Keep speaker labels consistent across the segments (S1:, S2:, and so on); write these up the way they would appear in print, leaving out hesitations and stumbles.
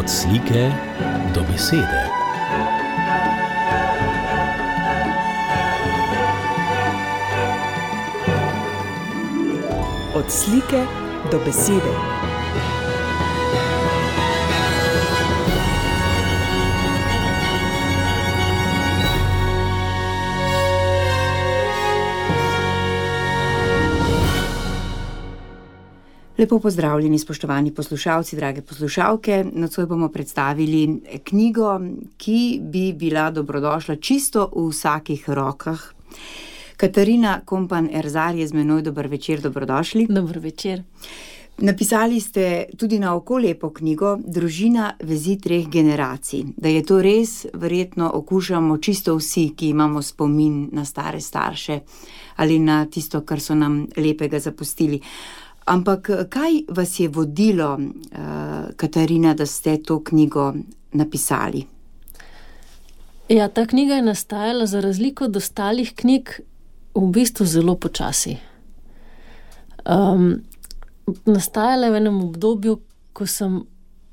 S1: Od slike do besede.
S2: Od slike do besede. Lepo pozdravljeni, spoštovani poslušalci, drage poslušalke. Nocoj bomo predstavili knjigo, ki bi bila dobrodošla čisto v vsakih rokah. Katarina Kompan Erzar je z menoj. Dober večer, dobrodošli.
S3: Dober večer.
S2: Napisali ste tudi na oko lepo knjigo Družina, vezi treh generacij. Da je to res, verjetno okušamo čisto vsi, ki imamo spomin na stare starše ali na tisto, kar so nam lepega zapustili. Ampak kaj vas je vodilo, Katarina, da ste to knjigo napisali?
S3: Ja, ta knjiga je nastajala za razliko od ostalih knjig v bistvu zelo počasi. Nastajala je v enem obdobju, ko sem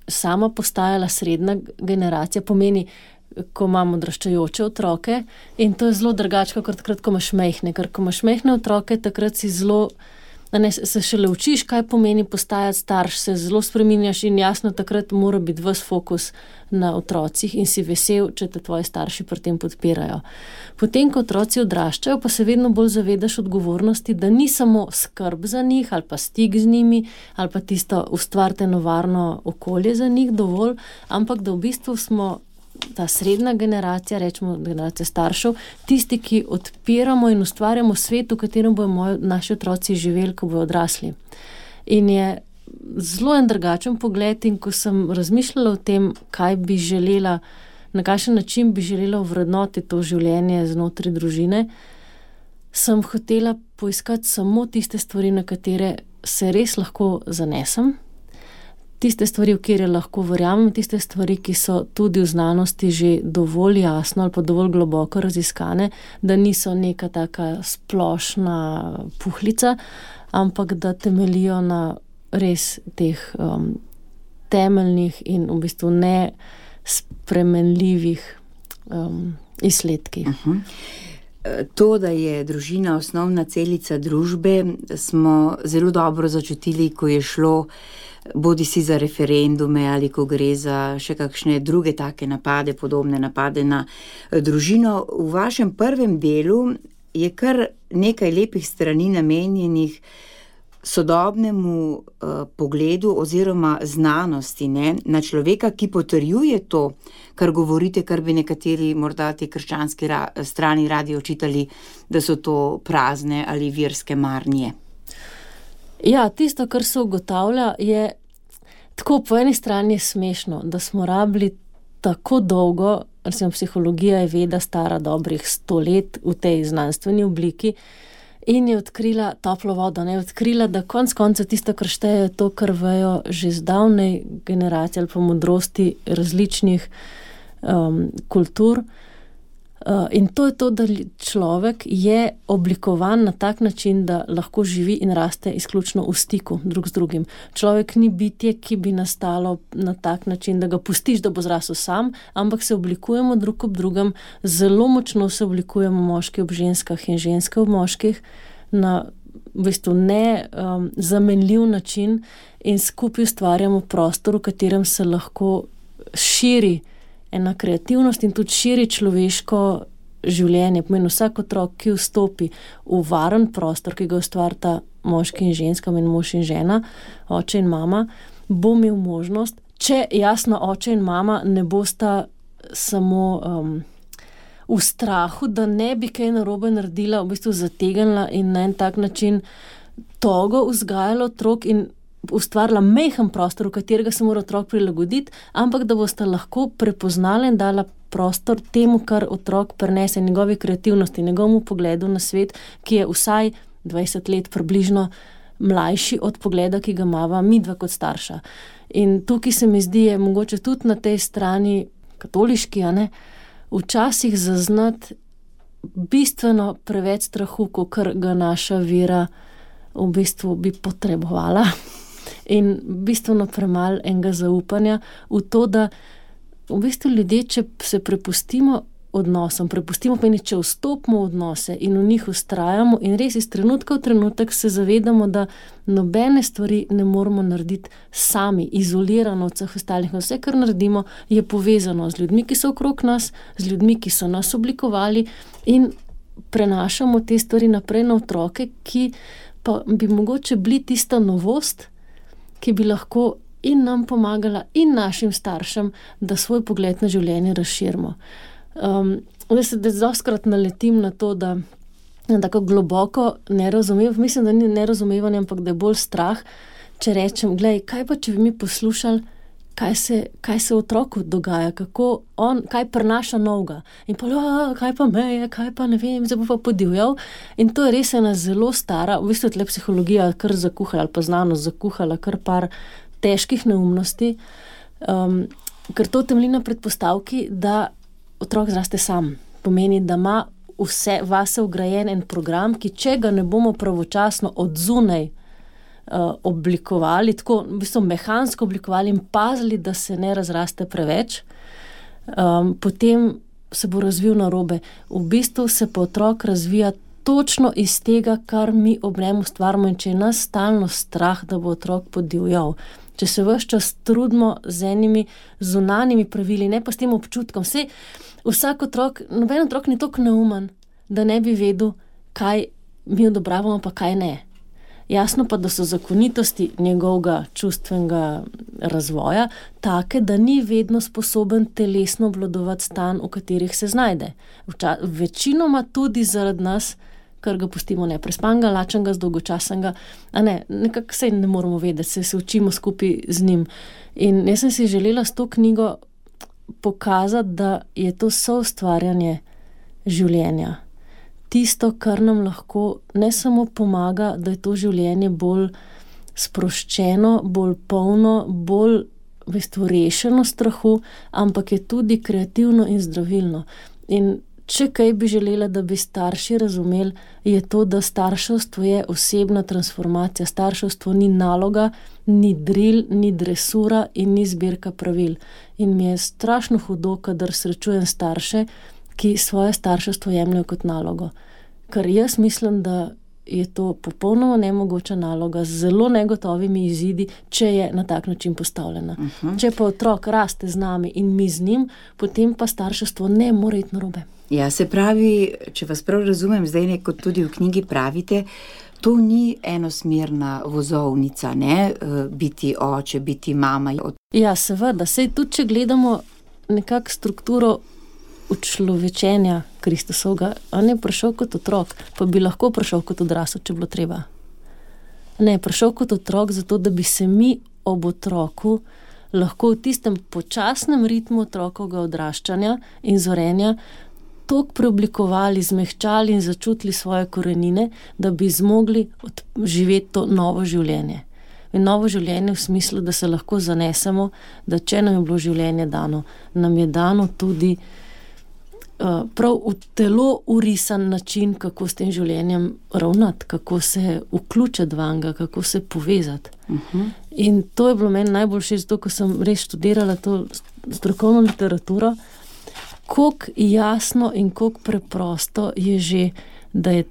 S3: sama postajala srednja generacija, pomeni, ko imam odraščajoče otroke, in to je zelo drugače, kot takrat, ko imaš majhne. Ker ko imaš majhne otroke, takrat si zelo... se šele učiš, kaj pomeni postajati starš, se zelo spreminjaš in jasno takrat mora biti ves fokus na otrocih in si vesel, če te tvoji starši pri tem podpirajo. Potem, ko otroci odraščajo, pa se vedno bolj zavedaš odgovornosti, da ni samo skrb za njih ali pa stik z njimi ali pa tisto ustvariti eno varno okolje za njih dovolj, ampak da v bistvu smo ta srednja generacija, rečemo generacija staršev, tisti, ki odpiramo in ustvarjamo svet, v katerem bodo naši otroci živeli, ko bodo odrasli. In je zelo en drugačen pogled, in ko sem razmišljala o tem, kaj bi želela, na kakšen način bi želela ovrednotiti to življenje znotraj družine, sem hotela poiskati samo tiste stvari, na katere se res lahko zanesem, tiste stvari, v kjer lahko verjamem, tiste stvari, ki so tudi v znanosti že dovolj jasno ali pa dovolj globoko raziskane, da niso neka taka splošna puhlica, ampak da temeljijo na res teh temeljnih in v bistvu nespremenljivih izsledkih.
S2: To, da je družina osnovna celica družbe, smo zelo dobro začutili, ko je šlo bodi si za referendume ali ko gre za še kakšne druge take napade, podobne napade na družino. V vašem prvem delu je kar nekaj lepih strani namenjenih sodobnemu pogledu oziroma znanosti, na človeka, ki potrjuje to, kar govorite, kar bi nekateri morda te krščanski strani radi očitali, da so to prazne ali verske marnje.
S3: Ja, tisto, kar se ugotavlja, je tako, po eni strani je smešno, da smo rabili tako dolgo, recimo psihologija je veda stara dobrih 100 let v tej znanstveni obliki, in je odkrila toplo vodo, je odkrila, da konec koncev tisto, kar šteje, to, kar vejo že zdavnej generacije ali pa modrosti različnih kultur. In to je to, da človek je oblikovan na tak način, da lahko živi in raste izključno v stiku drug z drugim. Človek ni bitje, ki bi nastalo na tak način, da ga pustiš, da bo zrasel sam, ampak se oblikujemo drug ob drugem, zelo močno se oblikujemo moški ob ženskah in ženske ob moških na v bistvu zamenljiv način in skupaj ustvarjamo prostor, v katerem se lahko širi ena kreativnost in tudi širi človeško življenje. Pomeni, vsak otrok, ki vstopi v varen prostor, ki ga ustvarita moški in ženska, mož in žena, oče in mama, bo imel možnost, če jasno oče in mama ne bosta samo v strahu, da ne bi kaj narobe naredila, v bistvu zategnila in na en tak način togo vzgajala otrok in ustvarila majhen prostor, v katerega se mora otrok prilagoditi, ampak da boste lahko prepoznali in dala prostor temu, kar otrok prinese, njegovi kreativnosti, njegovemu pogledu na svet, ki je vsaj 20 let približno mlajši od pogleda, ki ga imava midva kot starša. In tukaj se mi zdi, je mogoče tudi na tej strani katoliški, včasih zaznati bistveno preveč strahu, kakor ga naša vera v bistvu bi potrebovala. in bistveno premalo enega zaupanja v to, da v bistvu ljudje, če se prepustimo odnosom, pomeni, če vstopimo v odnose in v njih vztrajamo in res iz trenutka v trenutek se zavedamo, da nobene stvari ne moramo narediti sami, izolirano od vseh ostalih. Vse, kar naredimo, je povezano z ljudmi, ki so okrog nas, z ljudmi, ki so nas oblikovali in prenašamo te stvari naprej na otroke, ki pa bi mogoče bili tista novost, ki bi lahko in nam pomagala in našim staršem, da svoj pogled na življenje razširimo. Da dostkrat naletim na to, da tako globoko mislim, da ni nerazumevanje, ampak da je bolj strah, če rečem, glej, kaj pa, če bi mi poslušali, kaj se otroku dogaja, kaj prenaša novega. In pa, kaj pa meje, kaj pa ne vem, zdaj bo pa podivjal. In to je res ena zelo stara, v bistvu tle psihologija kar zakuhala, ali pa znanost zakuhala kar par težkih neumnosti, ker to temelji na predpostavki, da otrok zraste sam. Pomeni, da ima vase vgrajen en program, ki če ga ne bomo pravočasno od zunaj oblikovali, tako v bistvu mehansko oblikovali in pazili, da se ne razraste preveč, potem se bo razvil narobe. V bistvu se pa otrok razvija točno iz tega, kar mi ob njem ustvarimo, in če je nas stalno strah, da bo otrok podivjal, če se ves čas trudimo z enimi zunanjimi pravili, ne pa s tem občutkom. Vsak otrok, noben otrok ni toliko neumen, da ne bi vedel, kaj mi odobravamo, pa kaj ne. Jasno pa, da so zakonitosti njegovega čustvenega razvoja take, da ni vedno sposoben telesno obvladovati stanj, v katerih se znajde. Večinoma tudi zaradi nas, ker ga pustimo neprespanega, lačnega, zdolgočasnega, nekako se ne moramo vedeti, se učimo skupaj z njim. In jaz sem si želela s to knjigo pokazati, da je to soustvarjanje življenja. Tisto, kar nam lahko ne samo pomaga, da je to življenje bolj sproščeno, bolj polno, bolj rešeno strahu, ampak je tudi kreativno in zdravilno. In če kaj bi želela, da bi starši razumeli, je to, da starševstvo je osebna transformacija. Starševstvo ni naloga, ni dril, ni dresura in ni zbirka pravil. In mi je strašno hudo, kadar srečujem starše, ki svoje starševstvo jemljajo kot nalogo. Ker jaz mislim, da je to popolnoma nemogoča naloga z zelo negotovimi izidi, če je na tak način postavljena. Če pa otrok raste z nami in mi z njim, potem pa starševstvo ne more iti narobe.
S2: Ja, se pravi, če vas prav razumem, zdaj kot tudi v knjigi pravite, to ni enosmerna vozovnica, ne? Biti oče, biti mama.
S3: Ja, seveda, saj tudi, če gledamo nekako strukturo učlovečenja Kristusovega, on je prišel kot otrok, pa bi lahko prišel kot odrasel, če bilo treba. Ne, prišel kot otrok zato, da bi se mi ob otroku lahko v tistem počasnem ritmu otrokovega odraščanja in zorenja toliko preoblikovali, zmehčali in začutili svoje korenine, da bi zmogli živeti to novo življenje. In novo življenje v smislu, da se lahko zanesemo, da če nam je bilo življenje dano, nam je dano tudi prav v telo urisan način, kako s tem življenjem ravnati, kako se vključiti vanga, kako se povezati. In to je bilo meni najbolj všeč, zato ko sem res študirala to strokovno literaturo, koliko jasno in koliko preprosto je že, da je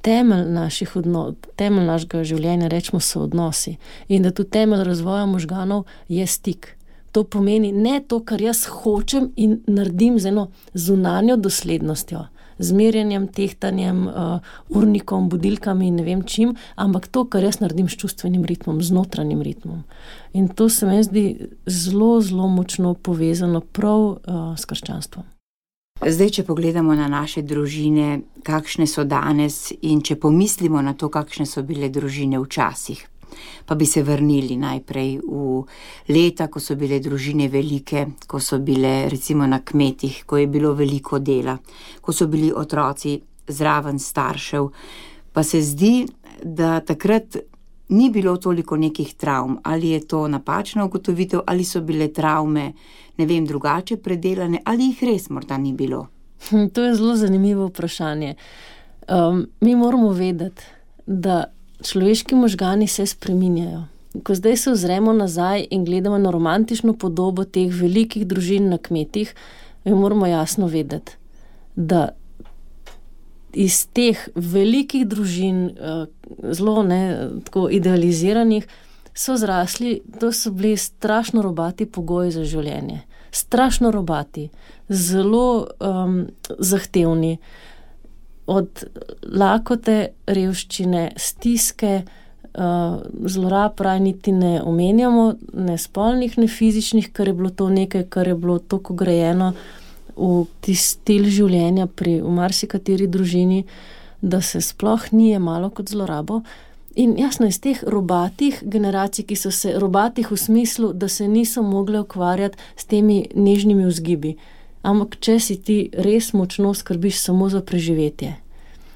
S3: temelj našega življenja, rečemo, so odnosi. In da tudi temelj razvoja možganov je stik. To pomeni ne to, kar jaz hočem in naredim z eno zunanjo doslednostjo, z merjenjem, tehtanjem, urnikom, budilkami in ne vem čim, ampak to, kar jaz naredim s čustvenim ritmom, z notranjim ritmom. In to se mi zdi zelo, zelo močno povezano prav s krščanstvom.
S2: Zdaj, če pogledamo na naše družine, kakšne so danes, in če pomislimo na to, kakšne so bile družine včasih, pa bi se vrnili najprej v leta, ko so bile družine velike, ko so bile recimo na kmetih, ko je bilo veliko dela, ko so bili otroci zraven staršev, pa se zdi, da takrat ni bilo toliko nekih travm. Ali je to napačna ugotovitev, ali so bile travme, ne vem, drugače predelane, ali jih res morda ni bilo?
S3: To je zelo zanimivo vprašanje. Mi moramo vedeti, da človeški možgani se spreminjajo. ko zdaj se ozremo nazaj in gledamo na romantično podobo teh velikih družin na kmetih, moramo jasno vedeti, da iz teh velikih družin, zelo tako idealiziranih, so zrasli, to so bili strašno robati pogoji za življenje. Strašno robati, zelo zahtevni. Od lakote, revščine, stiske, zlorab raj niti ne omenjamo, ne spolnih, ne fizičnih, ker je bilo to nekaj, kar je bilo toliko grajeno v tisti stil življenja v marsikateri družini, da se sploh ni jemalo kot zlorabo. In jasno, iz teh robatih generacij, ki so se robatih v smislu, da se niso mogle ukvarjati s temi nežnimi vzgibi. Ampak če si ti res močno skrbiš samo za preživetje,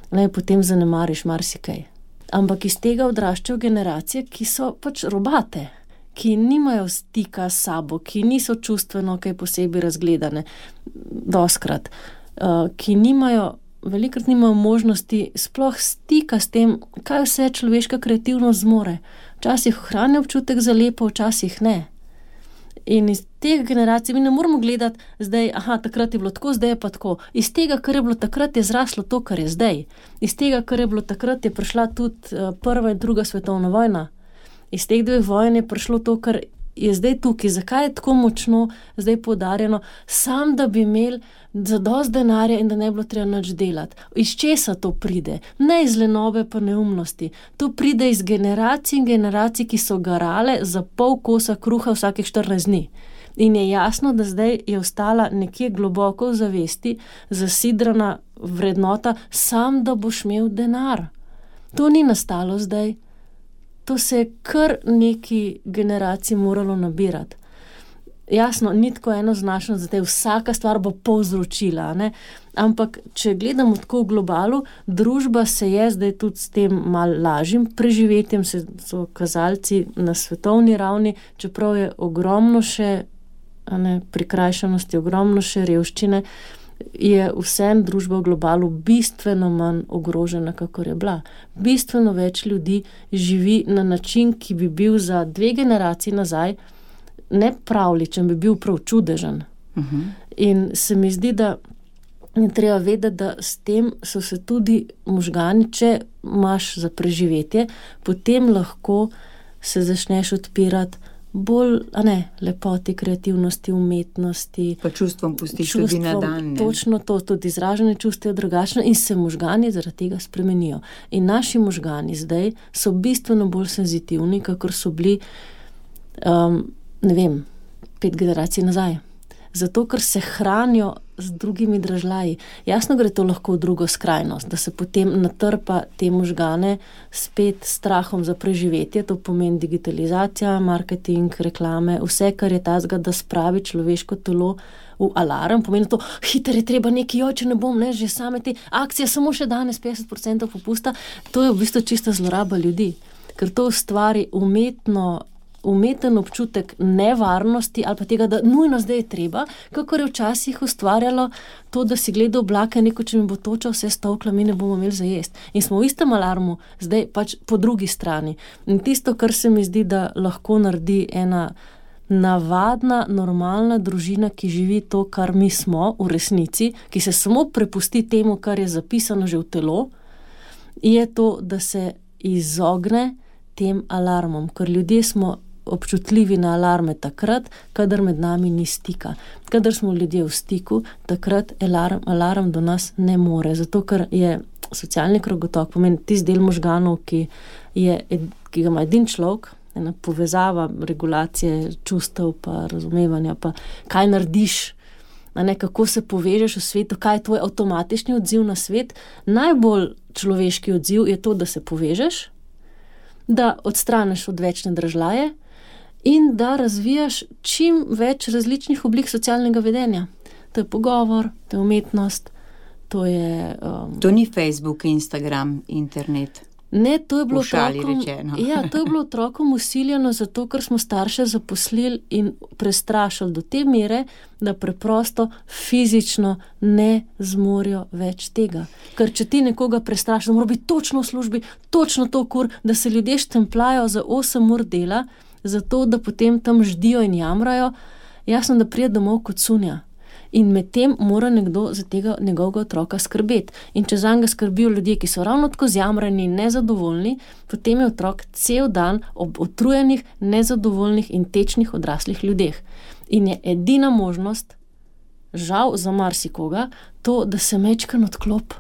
S3: potem zanemariš marsikaj. Ampak iz tega odraščajo generacije, ki so pač robate, ki nimajo stika s sabo, ki niso čustveno kaj posebej razgledane, doskrat, ki velikrat nimajo možnosti sploh stika s tem, kaj vse človeška kreativnost zmore. Včasih ohranja občutek za lepo, včasih ne. In iz teh generacij mi ne moramo gledati zdaj, takrat je bilo tako, zdaj je pa tako. Iz tega, kar je bilo takrat, je zraslo to, kar je zdaj. Iz tega, kar je bilo takrat, je prišla tudi prva in druga svetovna vojna. Iz teh dveh vojn je prišlo to, kar je zdaj tukaj. Zakaj je tako močno zdaj poudarjeno? Sam, da bi imeli zadost denarja in da ne bi bilo treba nič delati. Iz česa to pride? Ne iz lenobe pa neumnosti. To pride iz generacij in generacij, ki so garale za pol kosa kruha vsakih 14 dni. In je jasno, da zdaj je ostala nekje globoko v zavesti zasidrana vrednota, sam da boš imel denar. To ni nastalo zdaj. To se je kar neki generaciji moralo nabirati. Jasno, ni tako enoznačno, da vsaka stvar bo povzročila, ne? Ampak če gledamo tako v globalu, družba se je zdaj tudi s tem malo lažjim preživetjem, so kazalci na svetovni ravni, čeprav je ogromno še prikrajšanosti, ogromno še revščine, je vsem družba v globalu bistveno manj ogrožena, kakor je bila. Bistveno več ljudi živi na način, ki bi bil za 2 generaciji nazaj nepravličen, bi bil prav čudežen. In se mi zdi, da je treba vedeti, da s tem so se tudi možgani, če imaš za preživetje, potem lahko se začneš odpirati bolj, lepoti, kreativnosti, umetnosti.
S2: Pa čustvom pustiš tudi na dan.
S3: Točno to, tudi izražene čustva je drugačno in se možgani zaradi tega spremenijo. In naši možgani zdaj so bistveno bolj senzitivni, kakor so bili, 5 generacij nazaj. Zato, ker se hranijo z drugimi dražljaji. Jasno gre to lahko v drugo skrajnost, da se potem natrpa te možgane spet strahom za preživetje, to pomeni digitalizacija, marketing, reklame, vse, kar je tazga, da spravi človeško telo v alarm, pomeni to, hitro je treba nekaj, če ne bom, že same te akcije, samo še danes 50% popusta, to je v bistvu čista zloraba ljudi, ker to ustvari umeten občutek nevarnosti ali pa tega, da nujno zdaj je treba, kakor je včasih ustvarjalo to, da si gledal oblake, če mi bo toča vse stovkla, mi ne bomo imeli za jesti. In smo v istem alarmu, zdaj pač po drugi strani. In tisto, kar se mi zdi, da lahko naredi ena navadna, normalna družina, ki živi to, kar mi smo v resnici, ki se samo prepusti temu, kar je zapisano že v telo, je to, da se izogne tem alarmom, ker ljudje smo občutljivi na alarme takrat, kadar med nami ni stika. Kadar smo ljudje v stiku, takrat alarm do nas ne more. Zato, ker je socialni krogotok, pomeni tisti del možganov, ki ga ima edin človek, ena povezava, regulacije čustev, pa razumevanja, pa kaj narediš, kako se povežeš v svetu, kaj je tvoj avtomatični odziv na svet. Najbolj človeški odziv je to, da se povežeš, da odstraniš odvečne dražljaje in da razvijaš čim več različnih oblik socialnega vedenja. To je pogovor, to je umetnost, to je...
S2: To ni Facebook, Instagram, internet.
S3: Ne, to je bilo
S2: Pošali
S3: otrokom,
S2: rečeno.
S3: Ja, to je bilo otrokom usiljeno zato, ker smo starše zaposlili in prestrašili do te mere, da preprosto fizično ne zmorijo več tega. Ker če ti nekoga prestrašiš, da mora biti točno v službi, točno to da se ljudje štemplajo za 8 ur dela, zato da potem tam ždijo in jamrajo, jasno, da pride domov kot cunja. In medtem mora nekdo za tega njegovega otroka skrbeti. In če zanj ga skrbijo ljudje, ki so ravno tako zjamrani in nezadovoljni, potem je otrok cel dan ob utrujenih, nezadovoljnih in tečnih odraslih ljudeh. In je edina možnost, žal za marsikoga, to, da se mečkan odklop.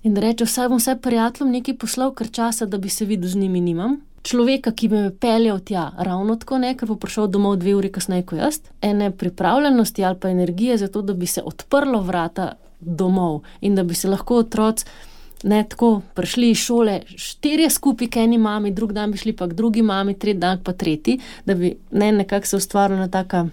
S3: In da reče, vsaj bom prijateljem nekaj poslal, ker časa, da bi se videl z njimi nimam. Človeka, ki bi me peljal tja, ravno tako ne, ker bo prišel domov 2 uri kasneje kot jaz. Ene pripravljenosti ali pa energije za to, da bi se odprlo vrata domov in da bi se lahko otroci tako prišli iz šole 4 skupaj k eni mami, drug dan bi šli pa k drugi mami, tretji dan pa tretji, da bi nekako se ustvarila taka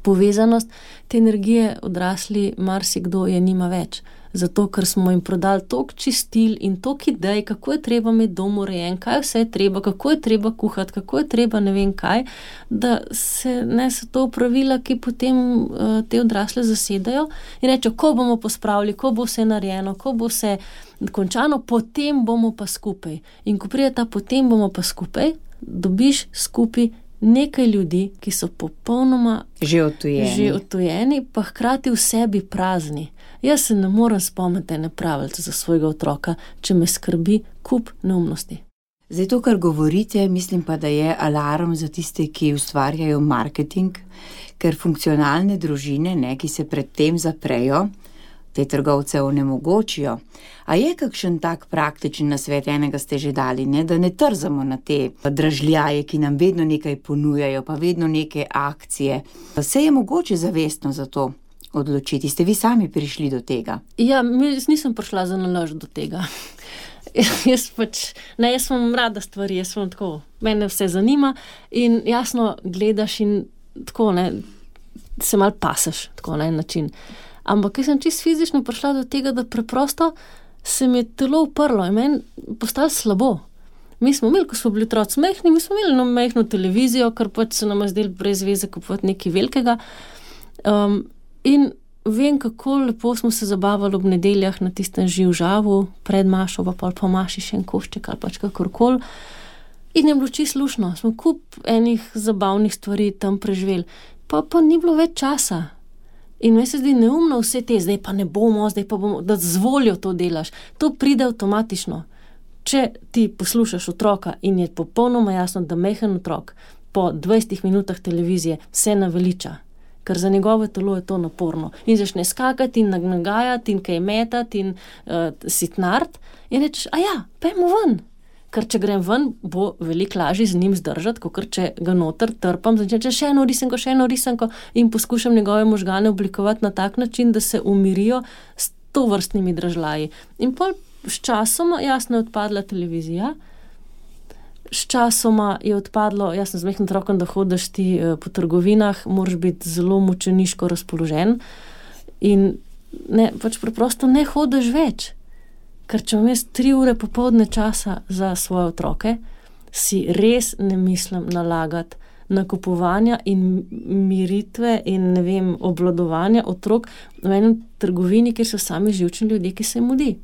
S3: povezanost. Te energije odrasli marsikdo je nima več. Zato, ker smo jim prodali toliko čistil in toliko idej, kako je treba imeti dom urejen, kaj vse je treba, kako je treba kuhati, kako je treba ne vem kaj, da so to pravila, ki potem te odrasle zasedajo in rečejo, ko bomo pospravili, ko bo vse narejeno, ko bo vse končano, potem bomo pa skupaj. In ko pride ta potem bomo pa skupaj, dobiš skupaj nekaj ljudi, ki so popolnoma že odtujeni, pa hkrati v sebi prazni. Jaz se ne morem spomniti ene pravljice za svojega otroka, če me skrbi kup neumnosti.
S2: Zdaj to, kar govorite, mislim pa, da je alarm za tiste, ki ustvarjajo marketing, ker funkcionalne družine, ki se predtem zaprejo, te trgovce onemogočijo. A je kakšen tak praktičen nasvet, enega ste že dali, da ne trzamo na te dražljaje, ki nam vedno nekaj ponujajo, pa vedno neke akcije. Se je mogoče zavestno za to odločiti? Ste vi sami prišli do tega?
S3: Ja, nisem prišla za nalož do tega. Jaz sem rada stvari, jaz sem tako, mene vse zanima in jasno gledaš in tako, se malo pasaš, tako na en način. Ampak jaz sem čisto fizično prišla do tega, da preprosto se mi je telo uprlo in meni postalo slabo. Mi smo imeli, ko smo bili otroci majhni, mi smo imeli majhno televizijo, ker se nam je zdelo brez veze kupovati nekaj velikega. In vem, kako lepo smo se zabavali ob nedeljah na tistem živžavu, pred mašo, pa po maši še en košček ali pač kakorkoli. In je bilo čisto luštno. Smo kup enih zabavnih stvari tam preživeli. Pa ni bilo več časa. In meni se zdi neumno vse te, zdaj pa ne bomo, zdaj pa bomo, da z voljo to delaš. To pride avtomatično. Če ti poslušaš otroka in je popolnoma jasno, da majhen otrok po 20 minutah televizije se naveliča, ker za njegovo telo je to naporno. In začne skakati in nagajati in kaj metati in sitnart in rečeš, pojmo ven. Ker če grem ven, bo veliko lažje z njim zdržati, kot če ga noter trpam, začne še eno risanko in poskušam njegove možgane oblikovati na tak način, da se umirijo s tovrstnimi dražljaji. In pol s časoma, jasno, je odpadla televizija, s časoma je odpadlo, jasno, z majhnim otrokom, da hodiš ti po trgovinah, moraš biti zelo mučeniško razpoložen in preprosto ne hodiš več. Ker če imam jaz 3 ure popoldne časa za svoje otroke, si res ne mislim nalagati nakupovanja in miritve in obvladovanja otrok v enem trgovini, kjer so sami živčni ljudje, ki se mudi.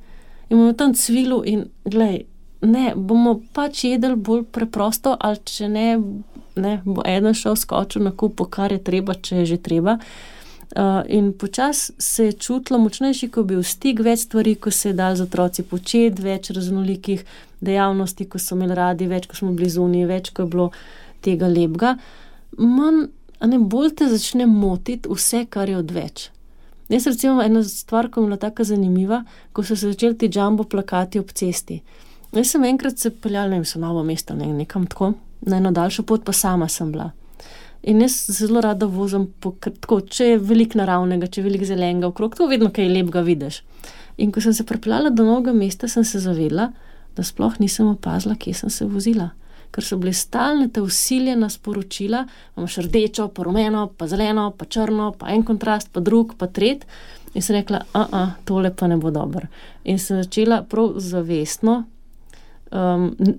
S3: In imamo tam cvilu in bomo pač jedli bolj preprosto, ali če ne, bo eden šel skočil na kupo, kar je treba, če je že treba. In počasi se je čutilo močnejši, ko bil stik, več stvari, ko se je dal z otroci početi, več raznolikih dejavnosti, ko so imeli radi, več, ko smo bili zunaj, več, ko je bilo tega lepega. Bolj te začne motiti vse, kar je odveč. Jaz recimo ena stvar, ko je bila taka zanimiva, ko so se začeli ti jumbo plakati ob cesti. Jaz sem enkrat se peljala, so Novo mesto, nekam tako, na eno daljšo pot, pa sama sem bila. In jaz zelo rada vozim tako, če je veliko naravnega, če je veliko zelenega okrog, to vedno kaj lepega vidiš. In ko sem se pripeljala do Novega mesta, sem se zavedla, da sploh nisem opazila, kje sem se vozila. Ker so bile stalne te vsiljena sporočila, imaš rdečo, pa rumeno, pa zeleno, pa črno, pa en kontrast, pa drug, pa tret. In sem rekla, tole pa ne bo dobro. In sem začela prav zavestno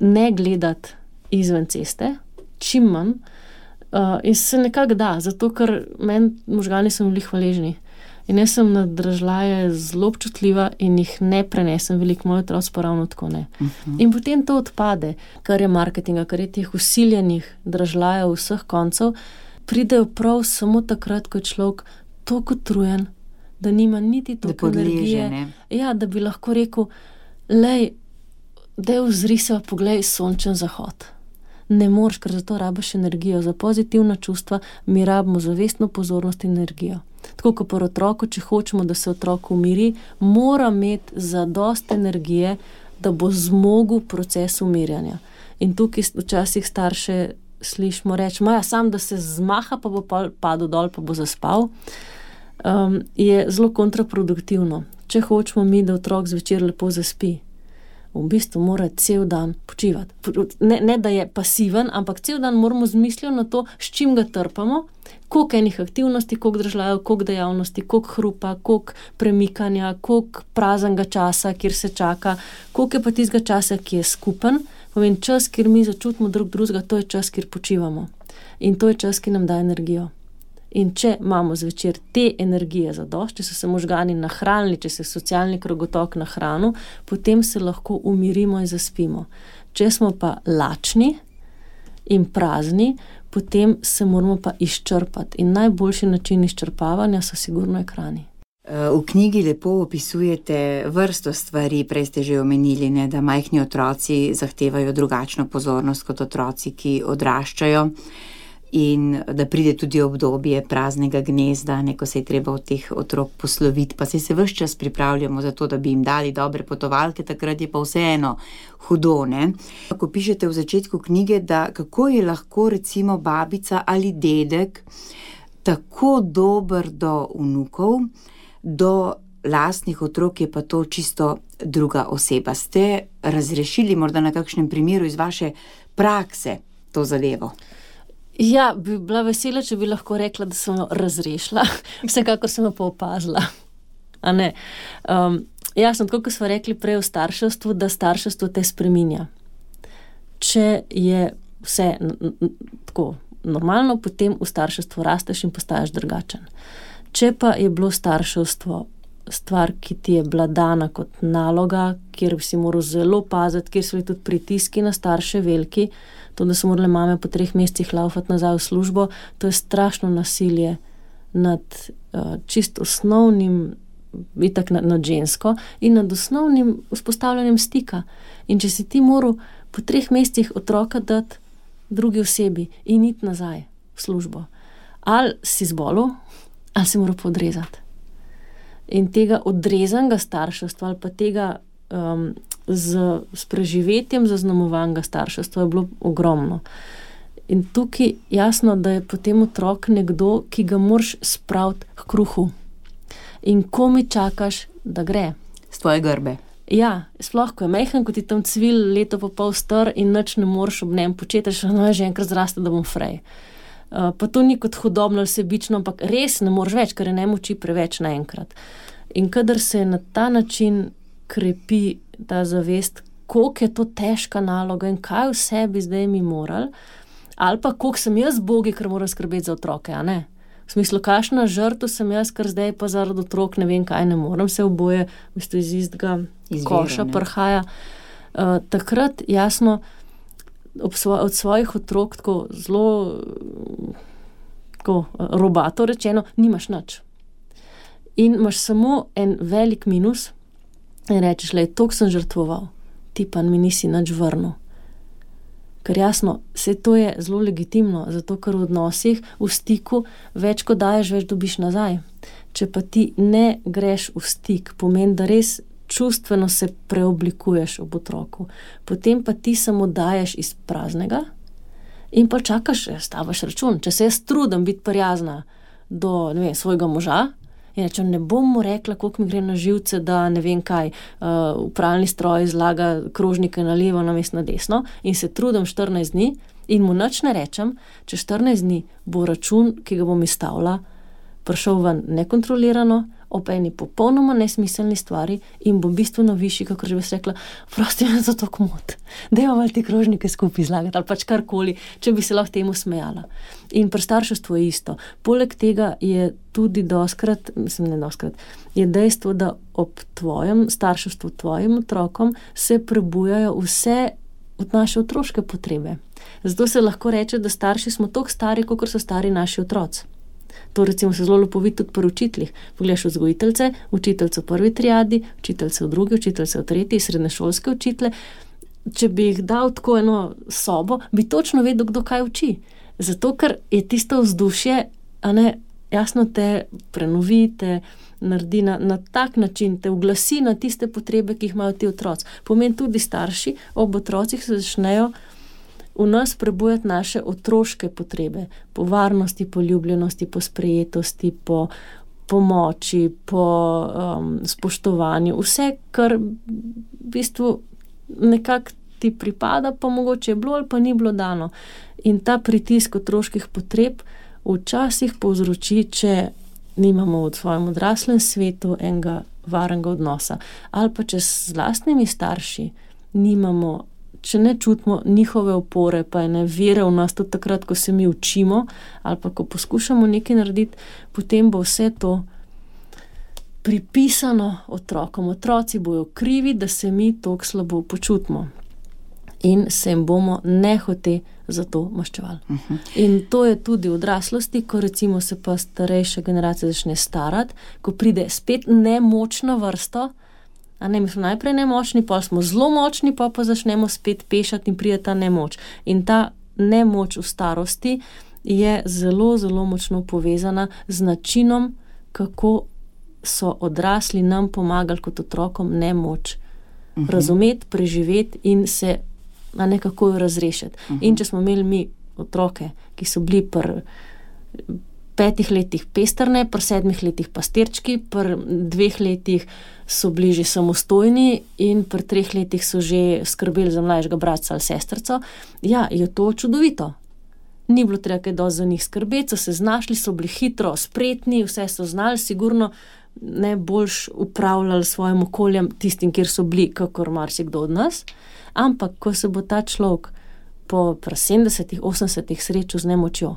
S3: ne gledati izven ceste, čim manj, in se nekako da, zato ker meni možgani so bili hvaležni. In jaz sem na dražljaje zelo občutljiva in jih ne prenesem veliko, moj otroci pa ravno tako ne. In potem to odpade, kar je marketinga, kar je teh usiljenih dražljajev vseh koncev, pridejo prav samo takrat, ko je človek toliko utrujen, da nima niti toliko energije. Ja, da bi lahko rekel, lej, daj vzri se, poglej sončen zahod. Ne moreš, ker zato rabiš energijo. Za pozitivna čustva mi rabimo zavestno pozornost in energijo. Tako kot pri otroku, če hočemo, da se otrok umiri, mora imeti zadost energije, da bo zmogel proces umirjanja. In tukaj včasih starše slišimo reči, sam da se zmaha, pa bo padel dol, pa bo zaspal, je zelo kontraproduktivno. Če hočemo mi, da otrok zvečer lepo zaspi, v bistvu mora cel dan počivati. Ne, da je pasiven, ampak cel dan moramo z mislijo na to, s čim ga trpamo, koliko enih aktivnosti, koliko držljajev, koliko dejavnosti, koliko hrupa, koliko premikanja, koliko praznega časa, kjer se čaka, koliko je pa tistega časa, ki je skupen. Povem, čas, kjer mi začutimo drugega, to je čas, kjer počivamo. In to je čas, ki nam da energijo. In če imamo zvečer te energije zadost, če so se možgani nahranili, če se socialni krogotok nahranil, potem se lahko umirimo in zaspimo. Če smo pa lačni in prazni, potem se moramo pa izčrpati. In najboljši način izčrpavanja so sigurno ekrani.
S2: V knjigi lepo opisujete vrsto stvari, prej ste že omenili, ne, da majhni otroci zahtevajo drugačno pozornost kot otroci, ki odraščajo. In da pride tudi obdobje praznega gnezda, ko se je treba od teh otrok posloviti, pa se ves čas pripravljamo za to, da bi jim dali dobre potovalke, takrat je pa vseeno hudo, ne. Ko pišete v začetku knjige, da kako je lahko recimo babica ali dedek tako dober do vnukov, do lastnih otrok je pa to čisto druga oseba. Ste razrešili morda na kakšnem primeru iz vaše prakse to zadevo?
S3: Ja, bi bila vesela, če bi lahko rekla, da sem jo razrešila. Vsekakor sem jo pa opazila. A ne? Jasno, tako kot smo rekli prej v starševstvu, da starševstvo te spreminja. Če je vse tako normalno, potem v starševstvu rasteš in postaješ drugačen. Če pa je bilo starševstvo stvar, ki ti je bila dana kot naloga, kjer bi si moral zelo paziti, kjer so tudi pritiski na starše veliki, to, da so morale mame po 3 mesecih laufati nazaj v službo, to je strašno nasilje nad čisto osnovnim, itak nad žensko in nad osnovnim vzpostavljanjem stika. In če si ti moral po 3 mesecih otroka dati drugi osebi in iti nazaj v službo, ali si zbolel, ali si moral podrezati. In tega odrezanega starševstva ali pa tega s preživetjem zaznamovanega starševstva je bilo ogromno. In tukaj jasno, da je potem otrok nekdo, ki ga moraš spraviti k kruhu. In ko mi čakaš, da gre.
S2: S tvoje grbe.
S3: Ja, sploh, ko je majhen, ko ti tam cvil leto pa pol star in nič ne moreš ob njem početi, že enkrat zraste, da bom frej. Pa to ni kot hudobno ali sebično, ampak res ne moreš več, ker je ne moči preveč naenkrat. In kadar se na ta način krepi ta zavest, koliko je to težka naloga in kaj vse bi zdaj mi morali, ali pa koliko sem jaz bogi, ker moram skrbeti za otroke, a ne? V smislu, kakšna žrtev sem jaz, ker zdaj pa zaradi otrok ne vem kaj, ne morem se oboje, v bistvu iz istega koša prhaja. Takrat jasno od svojih otrok tako zelo tako robato rečeno, nimaš nič. In imaš samo en velik minus in rečeš, toliko sem žrtvoval, ti pa mi nisi nič vrnil. Ker jasno, vse to je zelo legitimno, zato ker v odnosih, v stiku, več ko daješ, več dobiš nazaj. Če pa ti ne greš v stik, pomeni, da res čustveno se preoblikuješ ob otroku, potem pa ti samo daješ iz praznega in pa čakaš, stavaš račun. Če se jaz trudim biti prijazna do svojega moža, in rečem, ne bom mu rekla, koliko mi gre na živce, da ne vem kaj, v pralni stroj zlaga krožnike na levo, namesto na desno in se trudim 14 dni in mu nič ne rečem, če 14 dni bo račun, ki ga bom izstavila, prišel ven nekontrolirano, ob eni popolnoma nesmiselni stvari in bo bistveno višji, kakor že bi se rekla, prosti me za to komod. Dajmo malo te krožnike skupaj izlagati ali pač karkoli, če bi se lahko temu smejala. In pri starševstvu je isto. Poleg tega je tudi je dejstvo, da ob tvojem starševstvu, tvojim otrokom se prebujajo vse od naše otroške potrebe. Zato se lahko reče, da starši smo toliko stari, kot so stari naši otroci. To recimo se zelo lepo vidi tudi pri učiteljih. Pogledaš vzgojiteljce, učiteljce v prvi triadi, učiteljce v drugi, učiteljce v tretji, srednješolske učitelje. Če bi jih dal tako eno sobo, bi točno vedel, kdo kaj uči. Zato, ker je tisto vzdušje, jasno te prenovi, te naredi na tak način, te uglasi na tiste potrebe, ki jih imajo ti otroci. Pomeni tudi starši, ob otrocih se začnejo v nas prebujati naše otroške potrebe, po varnosti, po ljubljenosti, po sprejetosti, po pomoči, po spoštovanju, vse, kar v bistvu nekako ti pripada, pa mogoče je bilo ali pa ni bilo dano. In ta pritisk otroških potreb včasih povzroči, če nimamo v svojem odraslem svetu enega varnega odnosa. Ali pa če z lastnimi starši nimamo, če ne čutimo njihove opore, pa ene vere v nas tudi takrat, ko se mi učimo, ali pa ko poskušamo nekaj narediti, potem bo vse to pripisano otrokom. Otroci bojo krivi, da se mi toliko slabo počutimo. In se jim bomo nehote za to maščevali. In to je tudi v odraslosti, ko recimo se pa starejša generacija začne starati, ko pride spet nemočna vrsta, mi smo najprej nemočni, pa smo zelo močni, pa začnemo spet pešati in pride ta nemoč. In ta nemoč v starosti je zelo, zelo močno povezana z načinom, kako so odrasli nam pomagali kot otrokom nemoč razumeti, preživeti in se nekako jo razrešiti. In če smo imeli mi otroke, ki so bili pri 5 letih pestrne, pri 7 letih pastirčki, pri 2 letih so bili že samostojni in pri 3 letih so že skrbeli za mlajšega bratca ali sestrico, je to čudovito. Ni bilo treba kaj dosti za njih skrbeti, so se znašli, so bili hitro, spretni, vse so znali, sigurno ne boljš upravljali svojim okoljem tistim, kjer so bili, kakor marsikdo od nas. Ampak, ko se bo ta človek po 70, 80 srečal z nemočjo,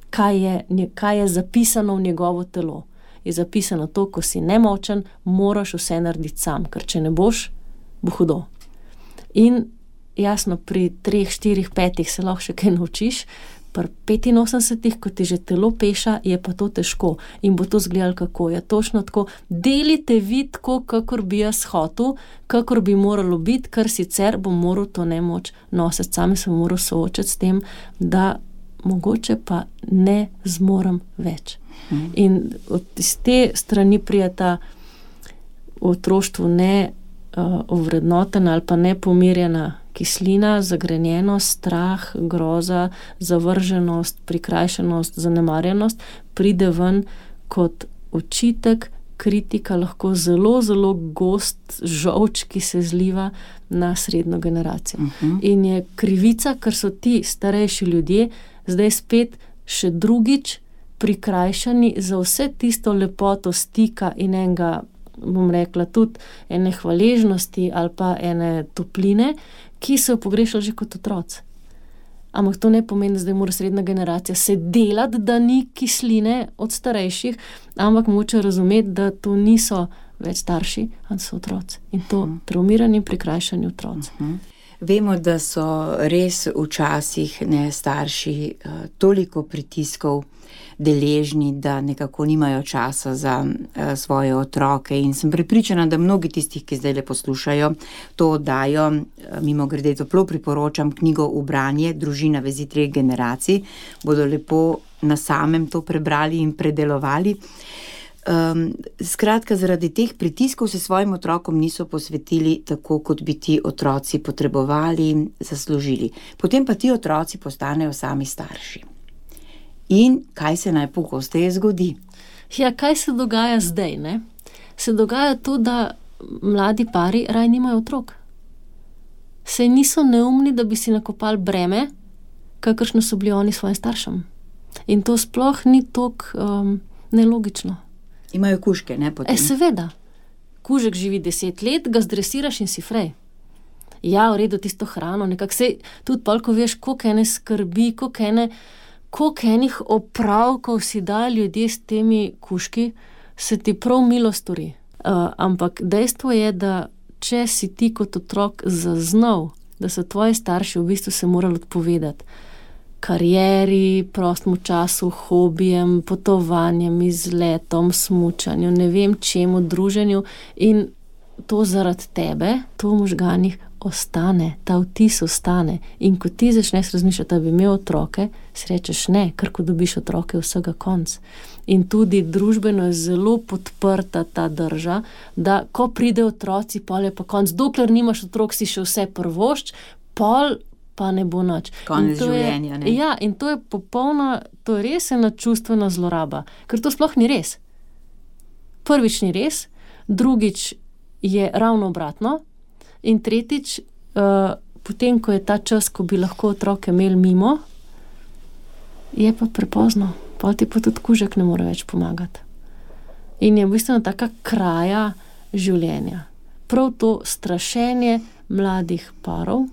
S3: kaj je zapisano v njegovo telo? Je zapisano to, ko si nemočen, moraš vse narediti sam, ker če ne boš, bo hudo. In jasno, pri 3, 4, 5 se lahko še kaj naučiš, pri 85, ko ti že telo peša, je pa to težko in bo to izgledalo kako. Je točno tako, delite vi tako, kakor bi jaz hotel, kakor bi moralo biti, ker sicer bom moral to nemoč nositi. Sami sem moral soočati s tem, da mogoče pa ne zmorem več. In iz te strani prijeta v otroštvu ovrednotena ali pa nepomirjena kislina, zagrenjenost, strah, groza, zavrženost, prikrajšanost, zanemarjenost pride ven kot očitek, kritika, lahko zelo, zelo gost žolč, ki se zliva na srednjo generacijo. In je krivica, ker so ti starejši ljudje zdaj spet še drugič prikrajšani za vse tisto lepoto stika in enega, bom rekla, tudi ene hvaležnosti ali pa ene topline, ki so jo pogrešali že kot otroci. Ampak to ne pomeni, da zdaj mora srednja generacija se delati, da ni kisline od starejših, ampak moče razumeti, da to niso več starši, ampak so otroci. In to traumirani, prikrajšani otroci.
S2: Vemo, da so res včasih starši toliko pritiskov deležni, da nekako nimajo časa za svoje otroke in sem prepričana, da mnogi tistih, ki zdaj le poslušajo, to oddajo, mimogrede toplo priporočam knjigo V branje, Družina vezi 3 generacij, bodo lepo na samem to prebrali in predelovali. Skratka, zaradi teh pritiskov se svojim otrokom niso posvetili tako, kot bi ti otroci potrebovali, zaslužili. Potem pa ti otroci postanejo sami starši. In kaj se najpogosteje zgodi?
S3: Kaj se dogaja zdaj, ne? Se dogaja to, da mladi pari raj nimajo otrok. Saj niso neumni, da bi si nakopali breme, kakršno so bili oni svojim staršem. In to sploh ni toliko nelogično.
S2: Imajo kužke, ne potem?
S3: Seveda. Kužek živi 10 let, ga zdresiraš in si frej. Ja, v redu, tisto hrano, nekako se tudi pol, ko veš, koliko ene skrbi, koliko enih opravkov si da ljudje s temi kužki, se ti prav milo stori. Ampak dejstvo je, da če si ti kot otrok zaznal, da so tvoji starši v bistvu se morali odpovedati karieri, prostemu času, hobijem, potovanjem, izletom, smučanju, ne vem čemu, druženju in to zaradi tebe, to v možganih ostane, ta vtis ostane. In ko ti začneš razmišljati, da bi imel otroke, si rečeš ne, ker ko dobiš otroke, vsega konc. In tudi družbeno je zelo podprta ta drža, da ko pride otroci, pol je pa konc. Dokler nimaš otrok, si še vse prvošč, pol pa ne bo nič.
S2: Konec življenja, ne?
S3: Ja, in to je popolna, to je res ena čustvena zloraba, ker to sploh ni res. Prvič ni res, drugič je ravno obratno in tretjič, potem, ko je ta čas, ko bi lahko otroke imeli mimo, je pa prepozno. Pa ti pa tudi kužek ne more več pomagati. In je v bistvu taka kraja življenja. Prav to strašenje mladih parov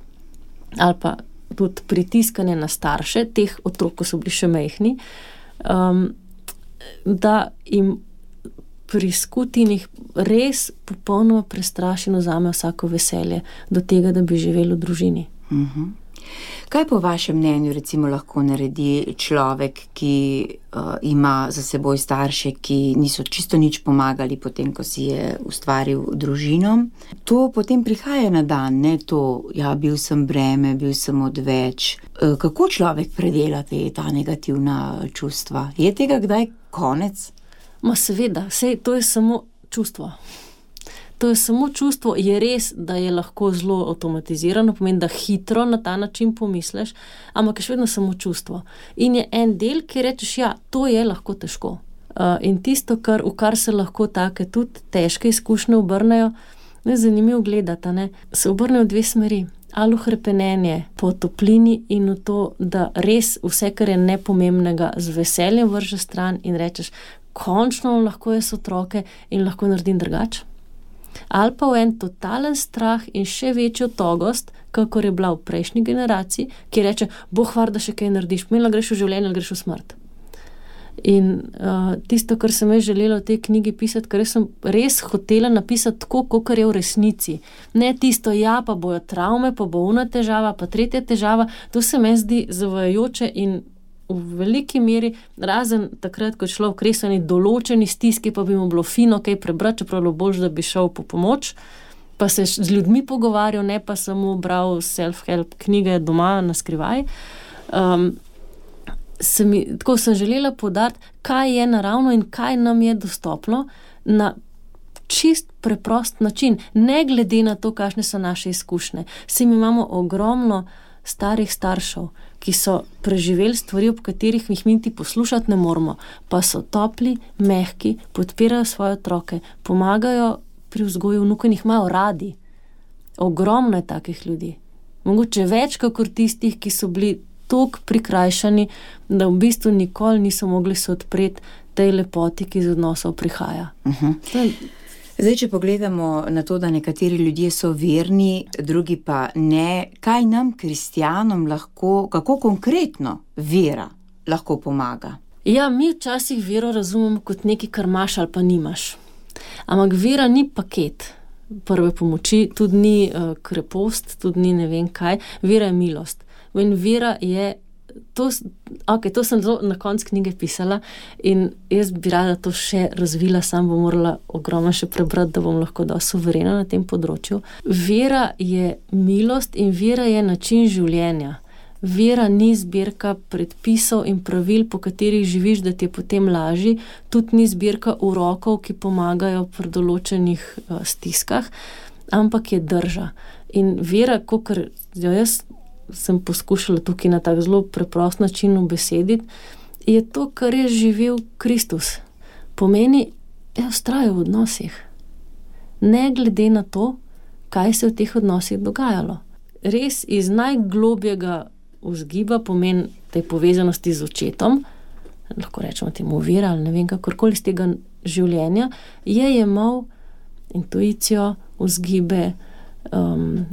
S3: ali pa tudi pritiskanje na starše, teh otrok, ko so bili še majhni, da jim pri skutinih res popolnoma prestraši in vzame vsako veselje do tega, da bi živeli v družini.
S2: Kaj po vašem mnenju recimo lahko naredi človek, ki ima za seboj starše, ki niso čisto nič pomagali potem, ko si je ustvaril družino? To potem prihaja na dan, ne to, ja, bil sem breme, bil sem odveč. Kako človek predela ta negativna čustva? Je tega kdaj konec?
S3: Ma seveda, sej to je samo čustvo. To je samo čustvo, je res, da je lahko zelo avtomatizirano, pomeni, da hitro na ta način pomisliš, ampak je še vedno samo čustvo. In je en del, ki rečeš, ja, to je lahko težko. In tisto, v kar se lahko take tudi težke izkušnje obrnejo, je zanimivo gledati, ne? Se obrnejo v dve smeri. Ali v hrepenenje po toplini in v to, da res vse, kar je nepomembnega, z veseljem vrže stran in rečeš, končno lahko jaz otroke in lahko naredim drugače. Ali pa v en totalen strah in še večjo togost, kakor je bila v prejšnji generaciji, ki reče, Bog var, da še kaj narediš, pomeni, greš v življenje ali greš v smrt. In tisto, kar sem jaz želela v tej knjigi pisati, kar sem res hotela napisati tako, kakor je v resnici. Ne tisto, ja, pa bojo travme, pa bo ona težava, pa tretja težava, to se meni zdi zavajajoče in v veliki meri, razen takrat, ko je šlo v kresani določeni stiski, pa bi mu bilo fino kaj prebrati, čeprav bilo bolj, da bi šel po pomoč, pa se z ljudmi pogovarjal, ne pa samo bral self-help knjige doma na skrivaj. Tako sem želela poudariti, kaj je naravno in kaj nam je dostopno na čist preprost način, ne glede na to, kakšne so naše izkušnje. Mi imamo ogromno starih staršev, ki so preživeli stvari, ob katerih jih mi niti poslušati ne moramo, pa so topli, mehki, podpirajo svoje otroke, pomagajo pri vzgoju vnukov in jih imajo radi. Ogromno je takih ljudi. Mogoče več kakor tistih, ki so bili toliko prikrajšani, da v bistvu nikoli niso mogli se odpreti tej lepoti, ki iz odnosov prihaja.
S2: Zdaj, če pogledamo na to, da nekateri ljudje so verni, drugi pa ne, kaj nam, kristjanom, lahko, kako konkretno vera lahko pomaga?
S3: Ja, mi včasih vero razumemo kot nekaj, kar imaš ali pa nimaš. Ampak vera ni paket prve pomoči, tudi ni krepost, tudi ni ne vem kaj. Vera je milost. In vera je to sem zelo na koncu knjige pisala in jaz bi rada to še razvila, sam bom morala ogromno še prebrati, da bom lahko dosti suverena na tem področju. Vera je milost in vera je način življenja. Vera ni zbirka predpisov in pravil, po katerih živiš, da ti je potem lažji, tudi ni zbirka urokov, ki pomagajo pri določenih stiskah, ampak je drža. In vera, kakor jaz sem poskušala tukaj na tak zelo preprost način ubesediti, je to, kar je živel Kristus. Pomeni, vztrajal v odnosih. Ne glede na to, kaj se v teh odnosih dogajalo. Res iz najglobjega vzgiba, pomeni tej povezanosti z očetom, lahko rečemo temu vira ali ne vem, kakorkoli iz tega življenja, je jemal intuicijo, vzgibe,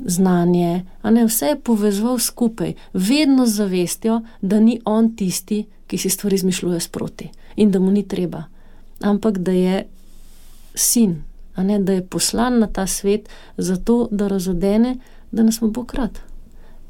S3: znanje, a ne, vse je povezoval skupaj, vedno z zavestjo, da ni on tisti, ki si stvari izmišljuje sproti in da mu ni treba, ampak da je sin, a ne, da je poslan na ta svet zato, da razodene, da nas ima Bog rad.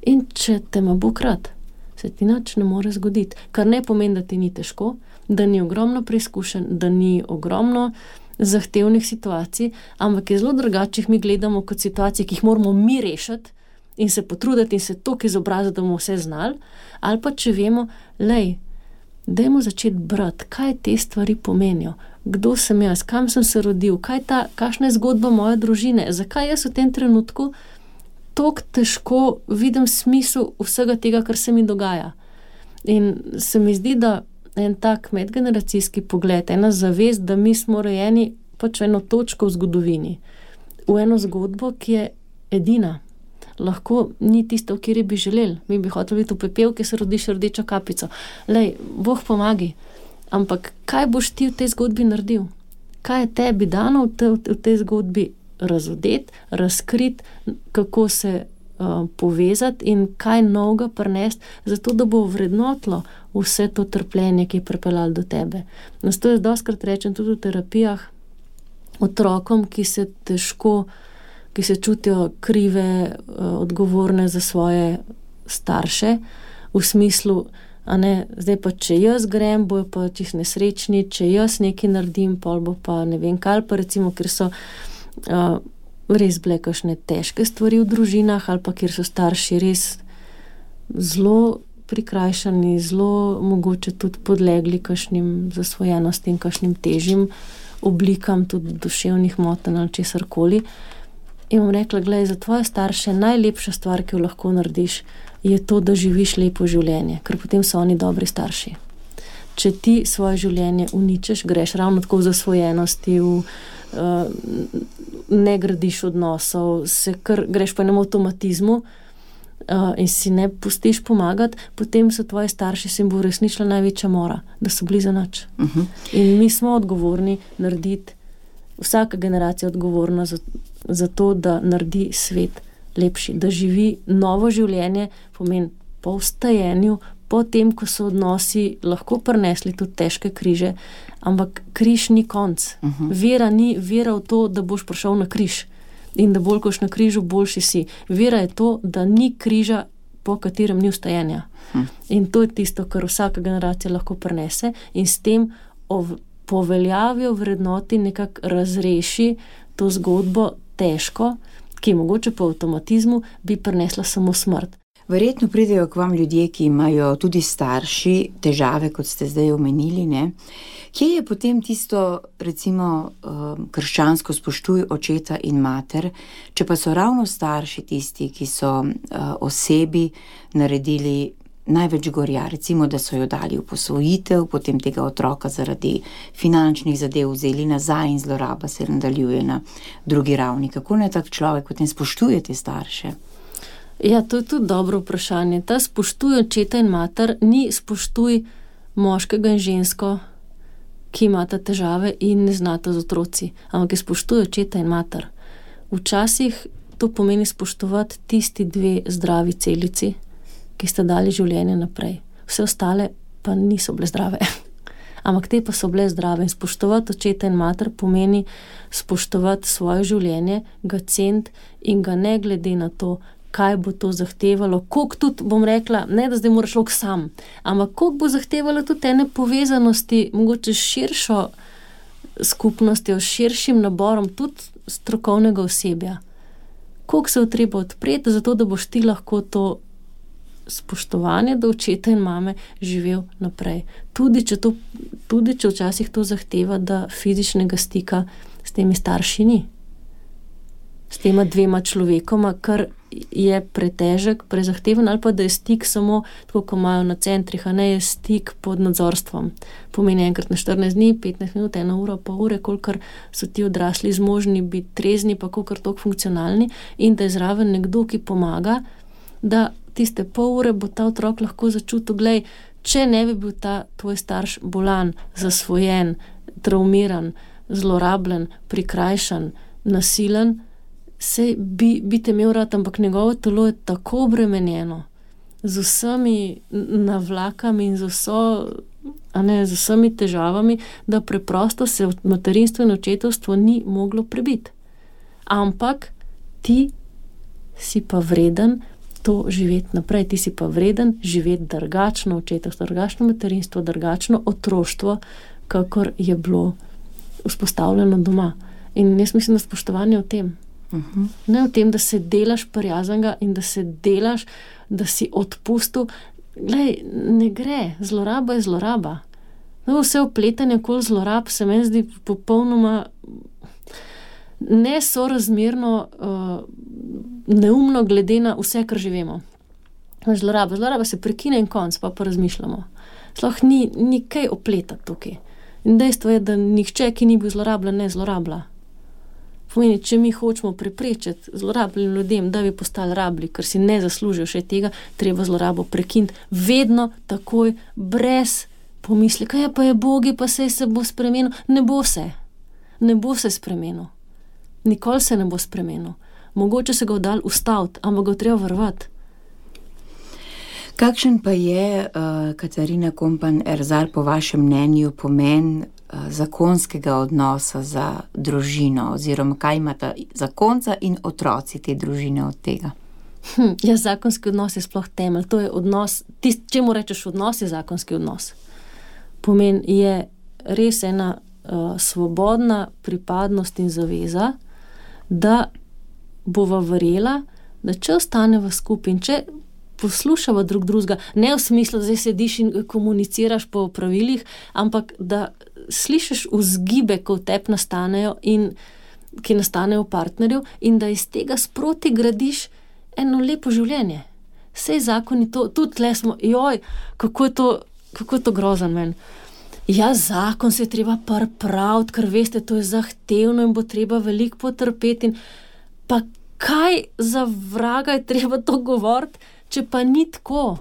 S3: In če te ima Bog rad, se ti nič ne more zgoditi, kar ne pomeni, da ti ni težko, da ni ogromno preizkušenj, da ni ogromno zahtevnih situacij, ampak je zelo drugače, mi gledamo kot situacije, ki jih moramo mi rešiti in se potruditi in se toliko izobraziti, da bomo vse znali, ali pa če vemo, dajmo začeti brati, kaj te stvari pomenijo, kdo sem jaz, kam sem se rodil, kakšna je zgodba moje družine, zakaj jaz v tem trenutku toliko težko vidim smisel vsega tega, kar se mi dogaja. In se mi zdi, da en tak medgeneracijski pogled, ena zavest, da mi smo rojeni pač v eno točko v zgodovini, v eno zgodbo, ki je edina. Lahko ni tisto, kjer bi želeli. Mi bi hoteli biti v pepel, ki se rodiš rdečo kapico. Bog pomagi. Ampak kaj boš ti v tej zgodbi naredil? Kaj je tebi dano v tej zgodbi razodeti, razkriti, kako se povezati in kaj novega prinesti, zato da bo vrednotilo vse to trpljenje, ki je pripeljalo do tebe. To je dostikrat rečem tudi v terapijah otrokom, ki se čutijo krive, odgovorne za svoje starše, v smislu, a ne, zdaj pa če jaz grem, bojo pa čisto nesrečni, če jaz nekaj naredim, pol bo pa ne vem kaj, pa recimo, ker so res bile kakšne težke stvari v družinah ali pa kjer so starši res zelo prikrajšani, zelo mogoče tudi podlegli kakšnim zasvojenostim, kakšnim težjim oblikam tudi duševnih motenj ali česarkoli. In bom rekla, glej, za tvoje starše najlepša stvar, ki jo lahko narediš, je to, da živiš lepo življenje, ker potem so oni dobri starši. Če ti svoje življenje uničiš, greš ravno tako v zasvojenosti, ne gradiš odnosov, greš po enem avtomatizmu in si ne pustiš pomagati, potem so tvoji starši, se jim bo resničila največja mora, da so bili za nič. In mi smo odgovorni narediti, vsaka generacija je odgovorna za to, da naredi svet lepši, da živi novo življenje, pomeni po vstajenju, po tem, ko so odnosi lahko prinesli tudi težke križe, ampak križ ni konc. Vera ni vera v to, da boš prišel na križ in da bolj koš na križu, boljši si. Vera je to, da ni križa, po katerem ni vstajenja. In to je tisto, kar vsaka generacija lahko prinese in s tem poveljavijo vrednoti nekako razreši to zgodbo težko, ki mogoče po avtomatizmu bi prinesla samo smrt.
S2: Verjetno pridejo k vam ljudje, ki imajo tudi starši težave, kot ste zdaj omenili, ne? Kje je potem tisto, recimo, krščansko spoštuj očeta in mater, če pa so ravno starši tisti, ki so osebi naredili največ gorja, recimo, da so jo dali v posvojitev, potem tega otroka zaradi finančnih zadev vzeli nazaj in zloraba se nadaljuje na drugi ravni. Kako naj tak človek potem spoštuje te starše?
S3: Ja, to je tudi dobro vprašanje. Ta spoštuj očeta in mater ni spoštuj moškega in žensko, ki imata težave in ne znata z otroci, ampak je spoštuj očeta in mater. Včasih to pomeni spoštovati tisti dve zdravi celici, ki sta dali življenje naprej. Vse ostale pa niso bile zdrave. Ampak te pa so bile zdrave in spoštovati očeta in mater pomeni spoštovati svoje življenje, ga ceniti in ga ne glede na to, kaj bo to zahtevalo, koliko tudi, bom rekla, ne da zdaj moraš človek sam, ampak koliko bo zahtevalo tudi ene povezanosti, mogoče s širšo skupnostjo, s širšim naborom tudi strokovnega osebja. Koliko se je treba odpreti, zato da boš ti lahko to spoštovanje do očeta in mame živel naprej. Tudi če včasih to zahteva, da fizičnega stika s temi starši ni. S tema dvema človekoma, kar je pretežek, prezahteven, ali pa da je stik samo, tako ko imajo na centrih, a ne je stik pod nadzorstvom. Pomeni enkrat na 14 dni, 15 minut, 1 ura, pol ure, kolikor so ti odrasli zmožni biti trezni, pa kolikor toliko funkcionalni, in da je zraven nekdo, ki pomaga, da tiste pol ure bo ta otrok lahko začutil, glej, če ne bi bil ta tvoj starš bolan, zasvojen, traumiran, zlorabljen, prikrajšan, nasilen, sej bi te imel rad, ampak njegovo telo je tako obremenjeno z vsemi navlakami in z vsemi težavami, da preprosto se materinstvo in očetovstvo ni moglo prebiti. Ampak ti si pa vreden to živeti naprej, ti si pa vreden živeti drugačno očetovstvo, drugačno materinstvo, drugačno otroštvo, kakor je bilo vzpostavljeno doma. In jaz mislim, da spoštovanje v tem. Ne v tem, da se delaš prijaznega in da se delaš, da si odpustil. Glej, ne gre, zloraba je zloraba. No, vse opletanje okoli zlorab se meni zdi popolnoma nesorazmerno neumno glede na vse, kar živimo. Zloraba se prekine in konc, pa razmišljamo. Sploh ni kaj opletati tukaj. In dejstvo je, da nihče, ki ni bil zlorabljen, ne zlorablja. Pomeni, če mi hočemo preprečiti zlorabljenim ljudem, da bi postali rabli, ker si ne zaslužijo še tega, treba zlorabo prekiniti vedno takoj, brez pomisleka, ja pa je Bogi, pa se bo spremenil. Ne bo se spremenil. Nikoli se ne bo spremenil. Mogoče se ga dal ustaviti, ampak ga treba varovati.
S2: Kakšen pa je, Katarina Kompan-Erzar, po vašem mnenju pomen zakonskega odnosa za družino, oziroma kaj imata zakonca in otroci te družine od tega?
S3: Ja, zakonski odnos je sploh temelj. To je odnos, čemu rečeš odnos, je zakonski odnos. Pomen je res ena svobodna pripadnost in zaveza, da bova verjela, da če ostaneva skupaj in če poslušava drug drugega, ne v smislu, da zdaj sediš in komuniciraš po pravilih, ampak da slišiš vzgibe, ko v tebi nastanejo in ki nastanejo v partnerju in da iz tega sproti gradiš eno lepo življenje. Sej zakoni to, tudi tle smo, kako je to grozen meni. Ja, zakon se je treba pripraviti, ker veste, to je zahtevno in bo treba veliko potrpeti in pa kaj za vraga je treba to govoriti, če pa ni tako.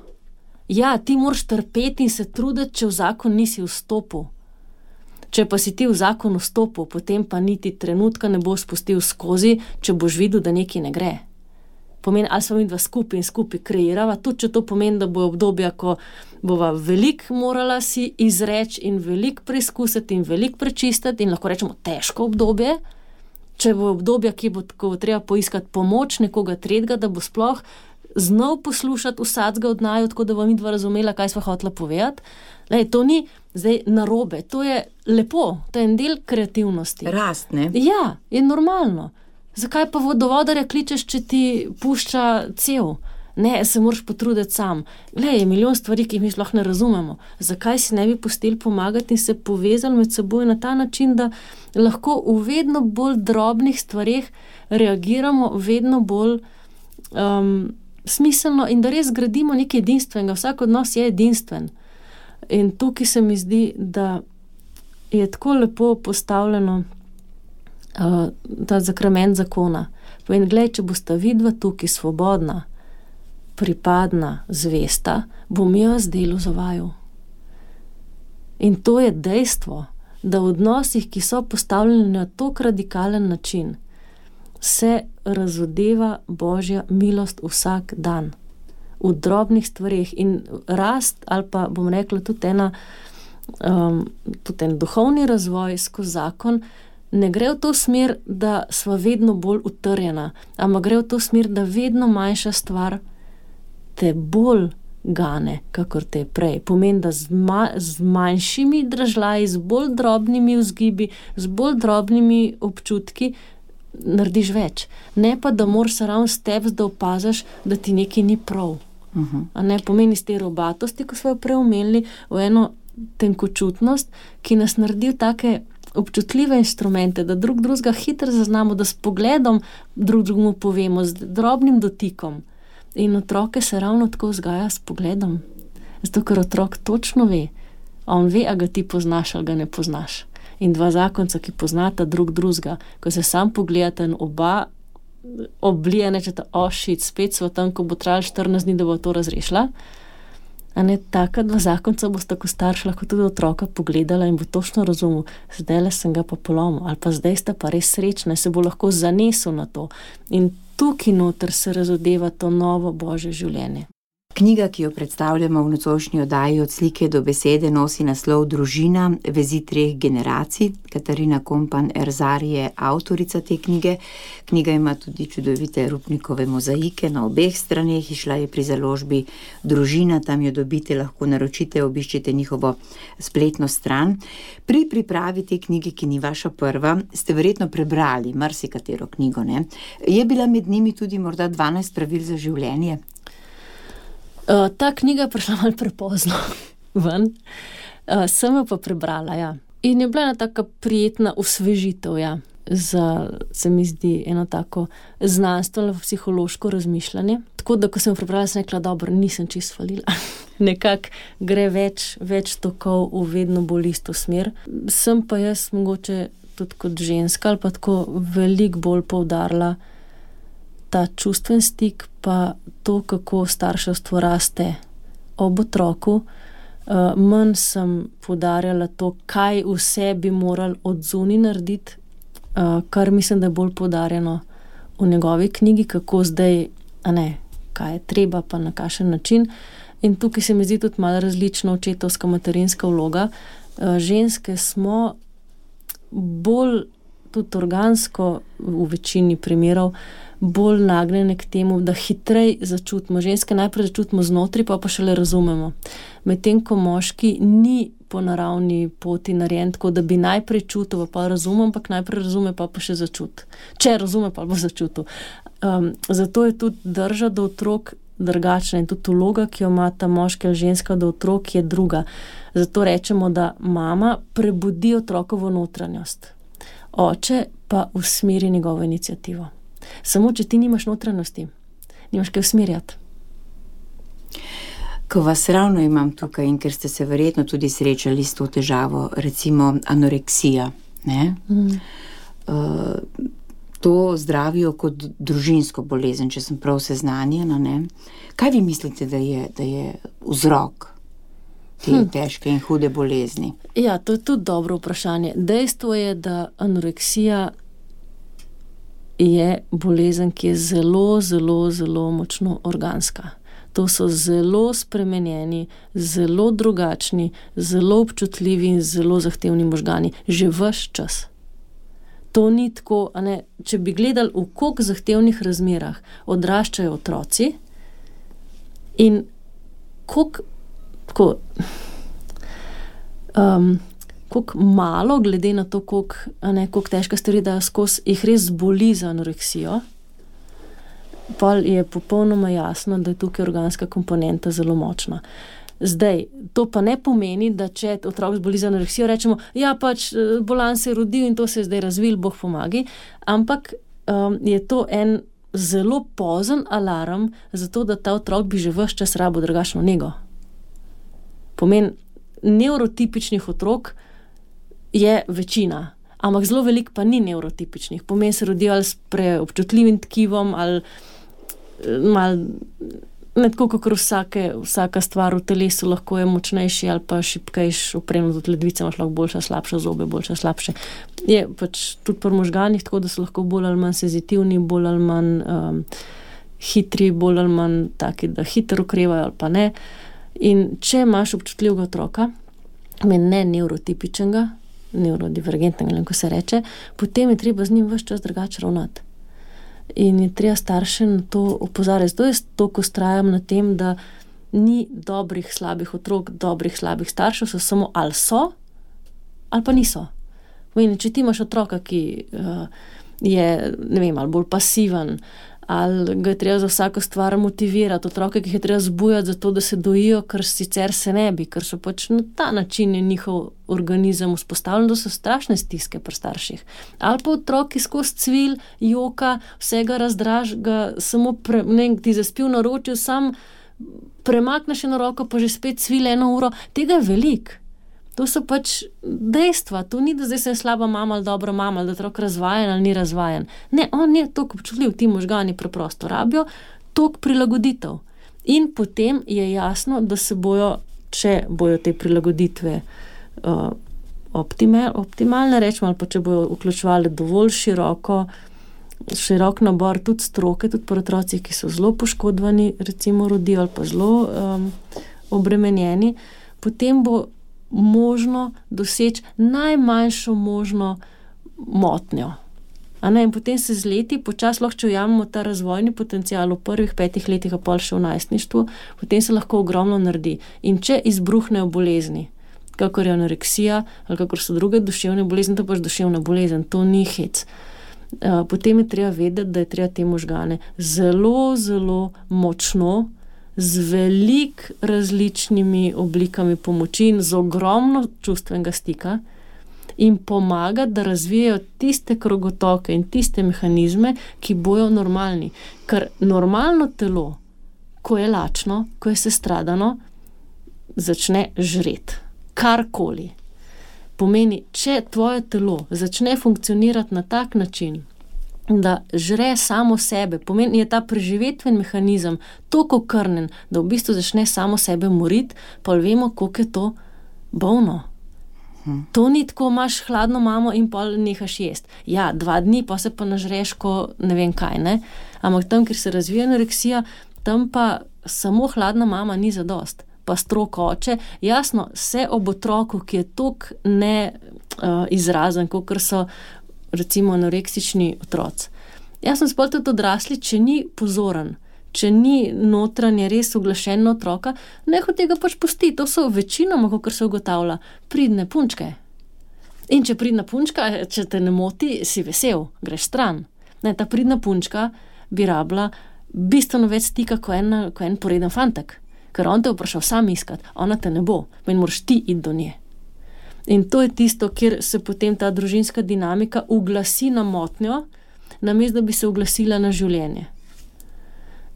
S3: Ja, ti moraš trpeti in se truditi, če v zakon nisi vstopil. Če pa si ti v zakon vstopil, potem pa niti trenutka ne boš spustil skozi, če boš videl, da nekaj ne gre. Pomeni, ali smo midva skupaj kreirava, tudi če to pomeni, da bo obdobja, ko bova veliko morala si izreči in veliko preizkusiti in veliko prečistiti in lahko rečemo težko obdobje, če bo obdobja, ko bo treba poiskati pomoč nekoga tretjega, da bo sploh znal poslušati vsakega od naju, tako da bo midva razumela, kaj sva hotela povedati. Lej, to ni zdaj narobe, to je lepo, to je en del kreativnosti.
S2: Rast, ne?
S3: Ja, je normalno. Zakaj pa vodovodarja kličeš, če ti pušča cev? Ne, se moraš potruditi sam. Glej, je milijon stvari, ki jih mi sploh ne razumemo. Zakaj si ne bi pustili pomagati in se povezali med seboj na ta način, da lahko v vedno bolj drobnih stvareh reagiramo vedno bolj smiselno in da res gradimo nekaj edinstvenega. Vsak od nas je edinstven. In tukaj se mi zdi, da je tako lepo postavljeno ta zakrament zakona. Povem, glej, če bosta vidva tukaj svobodna, pripadna, zvesta, bom jaz delo za vaju. In to je dejstvo, da v odnosih, ki so postavljeni na tak radikalen način, se razodeva Božja milost vsak dan. V drobnih stvareh in rast, ali pa bom rekla tudi en duhovni razvoj skozi zakon, ne gre v to smer, da sva vedno bolj utrjena, ampak gre v to smer, da vedno manjša stvar te bolj gane, kakor te prej. Pomeni, da z manjšimi dražljaji, z bolj drobnimi vzgibi, z bolj drobnimi občutki narediš več. Ne pa, da moraš ravno steps, da opaziš, da ti nekaj ni prav. A ne pomeni iz te robatosti, ko smo jo prej omenili, v eno tenkočutnost, ki nas naredi v take občutljive instrumente, da drugega hitro zaznamo, da s pogledom drugemu povemo, z drobnim dotikom. In otroke se ravno tako vzgaja s pogledom. Zato, ker otrok točno ve. On ve, a ga ti poznaš ali ga ne poznaš. In dva zakonca, ki poznata drugega, ko se sam pogledata in oba oblije, nečeta, spet smo tam, ko bo trajalo 14 dni, da bo to razrešila. A ne, taka dva zakonca bosta kot starš lahko tudi otroka pogledala in bo točno razumel, zdajle sem ga pa polomil, ali pa zdaj sta pa res srečna, se bo lahko zanesel na to. In tukaj noter se razodeva to novo Božje življenje.
S2: Knjiga, ki jo predstavljamo v nocojšnji oddaji Od slike do besede, nosi naslov Družina, vezi 3 generacij. Katarina Kompan Erzar je avtorica te knjige. Knjiga ima tudi čudovite Rupnikove mozaike na obeh straneh. Išla je pri založbi Družina, tam jo dobite, lahko naročite, obiščite njihovo spletno stran. Pri pripravi te knjige, ki ni vaša prva, ste verjetno prebrali marsikatero knjigo, ne? Je bila med njimi tudi morda 12 pravil za življenje?
S3: Ta knjiga je prišla malo prepozno ven, sem jo pa prebrala, ja. In je bila ena taka prijetna osvežitev, ja, za, se mi zdi, eno tako znanstveno psihološko razmišljanje. Tako da, ko sem jo prebrala, sem rekla, dobro, nisem čisto falila. Nekako gre več tokov v vedno bolj isto smer. Sem pa jaz mogoče tudi kot ženska ali pa tako veliko bolj poudarila ta čustven stik, pa to, kako starševstvo raste ob otroku. Manj sem poudarjala to, kaj vse bi morali od zunaj narediti, kar mislim, da je bolj poudarjeno v njegovi knjigi, kako zdaj, kaj je treba, pa na kakšen način. In tukaj se mi zdi tudi malo različna očetovska materinska vloga. Ženske smo bolj tudi organsko v večini primerov bolj nagnjene k temu, da hitrej začutimo. Ženske najprej začutimo znotri, pa šele razumemo. Medtem ko moški ni po naravni poti narejen tako, da bi najprej čutil, pa razumem, ampak najprej razume, pa še začuti. Če razume, pa bo začutil. Zato je tudi drža do otrok drugačna in tudi vloga, ki jo ima ta moški ali ženska do otrok, je druga. Zato rečemo, da mama prebudi otrokovo notranjost. Oče pa usmeri njegovo inicijativo. Samo, če ti nimaš notranjosti, nimaš kaj usmerjati.
S2: Ko vas ravno imam tukaj in ker ste se verjetno tudi srečali s to težavo, recimo anoreksija, ne? To zdravijo kot družinsko bolezen, če sem prav seznanjena, ne? Kaj vi mislite, da je vzrok te težke in hude bolezni?
S3: Ja, to je tudi dobro vprašanje. Dejstvo je, da anoreksija je bolezen, ki je zelo, zelo, zelo močno organska. To so zelo spremenjeni, zelo drugačni, zelo občutljivi in zelo zahtevni možgani. Že ves čas. To ni tako, če bi gledali, v koliko zahtevnih razmerah odraščajo otroci in koliko malo, glede na to, koliko težka stvari dajo skozi, jih res boli za anoreksijo, pa je popolnoma jasno, da je tukaj organska komponenta zelo močna. Zdaj, to pa ne pomeni, da če otrok zboli za anoreksijo, rečemo, ja, bolan se je rodil in to se je zdaj razvil, Bog pomagi, ampak je to en zelo pozen alarm za to, da ta otrok bi že ves čas rabil drugačno nego. Pomen neurotipičnih otrok je večina, ampak zelo veliko pa ni neurotipičnih. Pomeni se rodijo ali s preobčutljivim tkivom, ali ne tako, kakor vsaka stvar v telesu lahko je močnejši ali pa šibkejši, opremljen od ledvice, imaš lahko boljša, slabša zobe, boljša, slabše. Je tudi pri možganih tako, da so lahko bolj ali manj senzitivni, bolj ali manj hitri, bolj ali manj taki, da hitro okrevajo ali pa ne. In če imaš občutljivega otroka, ne neurotipičnega, neurodivergentnega, ko se reče, potem je treba z njim ves čas drugače ravnati. In je treba starše na to opozarjati. Zato jaz toliko vztrajam na tem, da ni dobrih, slabih otrok, dobrih, slabih staršev, so samo ali so, ali pa niso. Če ti imaš otroka, ki je, ali bolj pasiven, ali ga je treba za vsako stvar motivirati, otroke, ki jih je treba zbujati za to, da se dojijo, ker sicer se ne bi, ker so na ta način je njihov organizem vzpostavljen, da so strašne stiske pri starših. Ali pa otroki skozi cvil, joka, vsega razdraž, ga samo ti zaspil na ročju, sam premakneš eno roko, pa že spet cvil 1 uro. Tega je veliko. To so dejstva. To ni, da zdaj sem slaba mama ali dobra mama, ali da otrok razvajen ali ni razvajen. Ne, on je toliko občutljiv, ti možgani preprosto rabijo toliko prilagoditev. In potem je jasno, da se bojo, če bojo te prilagoditve optimalne, rečemo, ali pa če bojo vključevali dovolj širok nabor tudi stroke, tudi pri otrocih, ki so zelo poškodovani, recimo rodijo ali pa zelo obremenjeni, potem bo možno doseči najmanjšo možno motnjo. In potem se z leti, počasi lahko, če ujamemo ta razvojni potencial v prvih 5 letih, a pol še v najstništvu, potem se lahko ogromno naredi. In če izbruhnejo bolezni, kakor je anoreksija ali kakor so druge duševne bolezni, to pač duševna bolezen, to ni hec. Potem je treba vedeti, da je treba te možgane zelo, zelo močno, z velik različnimi oblikami pomoči in z ogromno čustvenega stika in pomagati, da razvijajo tiste krogotoke in tiste mehanizme, ki bojo normalni. Ker normalno telo, ko je lačno, ko je sestradano, začne žreti. Karkoli. Pomeni, če tvoje telo začne funkcionirati na tak način, da žre samo sebe, pomeni, je ta preživetven mehanizem toliko krnen, da v bistvu začne samo sebe moriti, pa vemo, koliko je to bolno. To ni tako, imaš hladno mamo in pol nehaš jesti. Ja, 2 dni, pa se pa nažreš, ko ne vem kaj, ne? Ampak tam, kjer se razvija anoreksija, tam pa samo hladna mama ni zadost. Pa strok oče, jasno, se ob otroku, ki je toliko neizrazen, kakor so recimo anoreksični otroci. Jasno, spol tudi odrasli, če ni pozoren, če ni notranje res uglašen na otroka, neho tega pač pusti. To so večinoma, kakor se ugotavlja, pridne punčke. In če pridna punčka, če te ne moti, si vesel, greš stran. Ne, ta pridna punčka bi rabila bistveno več stika ko en poreden fantek. Ker on te vprašal sam iskati, ona te ne bo, in moraš ti iti do nje. In to je tisto, kjer se potem ta družinska dinamika uglasi na motnjo, namesto da bi se uglasila na življenje.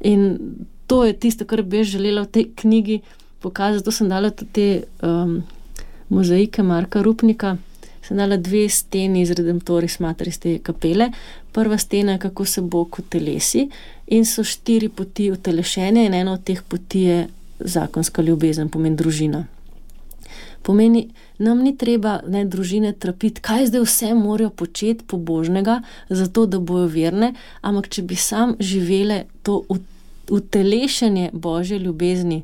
S3: In to je tisto, kar bi želela v tej knjigi pokazati. To sem dala tudi te mozaike Marka Rupnika. Sem dala 2 steni iz Redemptoris Materis te kapele. Prva stena je, kako se Bog utelesi, in so 4 poti utelešenja in ena od teh poti je zakonska ljubezen, pomeni družina. Pomeni, nam ni treba družine trapiti, kaj zdaj vse morajo početi pobožnega, zato da bojo verne, ampak če bi sam živele to utelešenje Božje ljubezni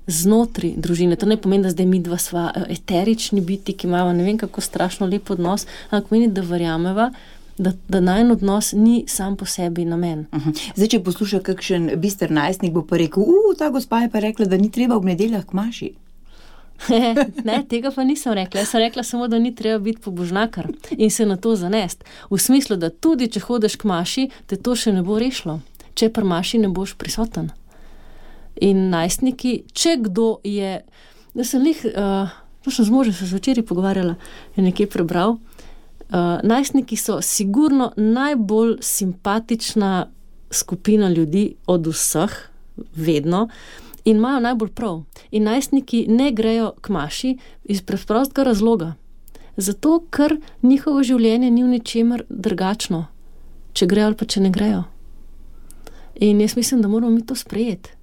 S3: znotraj družine. To ne pomeni, da zdaj midva sva eterični biti, ki imamo ne vem kako strašno lep odnos, ampak pomeni, da verjameva, da najin odnos ni sam po sebi namen.
S2: Zdaj, če posluša kakšen bister najstnik, bo pa rekel, ta gospa je pa rekla, da ni treba ob nedeljah k maši.
S3: Ne, tega pa nisem rekla. Jaz sem rekla samo, da ni treba biti pobožnakar in se na to zanest. V smislu, da tudi, če hodeš k maši, te to še ne bo rešilo. Če pri maši ne boš prisoten. In najstniki, če kdo je, da sem z možem se včeraj pogovarjala, je nekje prebral, najstniki so sigurno najbolj simpatična skupina ljudi od vseh, vedno, in imajo najbolj prav. In najstniki ne grejo k maši iz preprostega razloga. Zato, ker njihovo življenje ni v ničemer drugačno, če grejo ali pa če ne grejo. In jaz mislim, da moramo mi to sprejeti.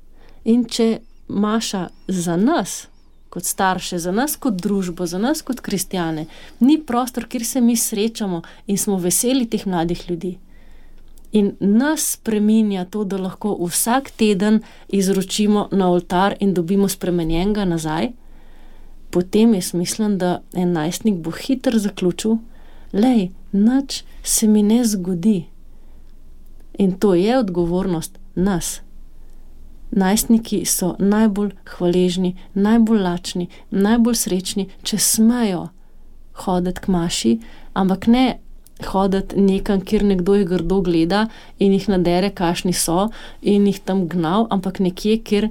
S3: In če maša za nas, kot starše, za nas kot družbo, za nas kot kristjane, ni prostor, kjer se mi srečamo in smo veseli teh mladih ljudi. In nas spreminja to, da lahko vsak teden izročimo na oltar in dobimo spremenjenega nazaj, potem jaz mislim, da en najstnik bo hitro zaključil, nič se mi ne zgodi. In to je odgovornost nas. Najstniki so najbolj hvaležni, najbolj lačni, najbolj srečni, če smejo hoditi k maši, ampak ne hoditi nekam, kjer nekdo jih grdo gleda in jih nadere, kakšni so, in jih tam gnal, ampak nekje, kjer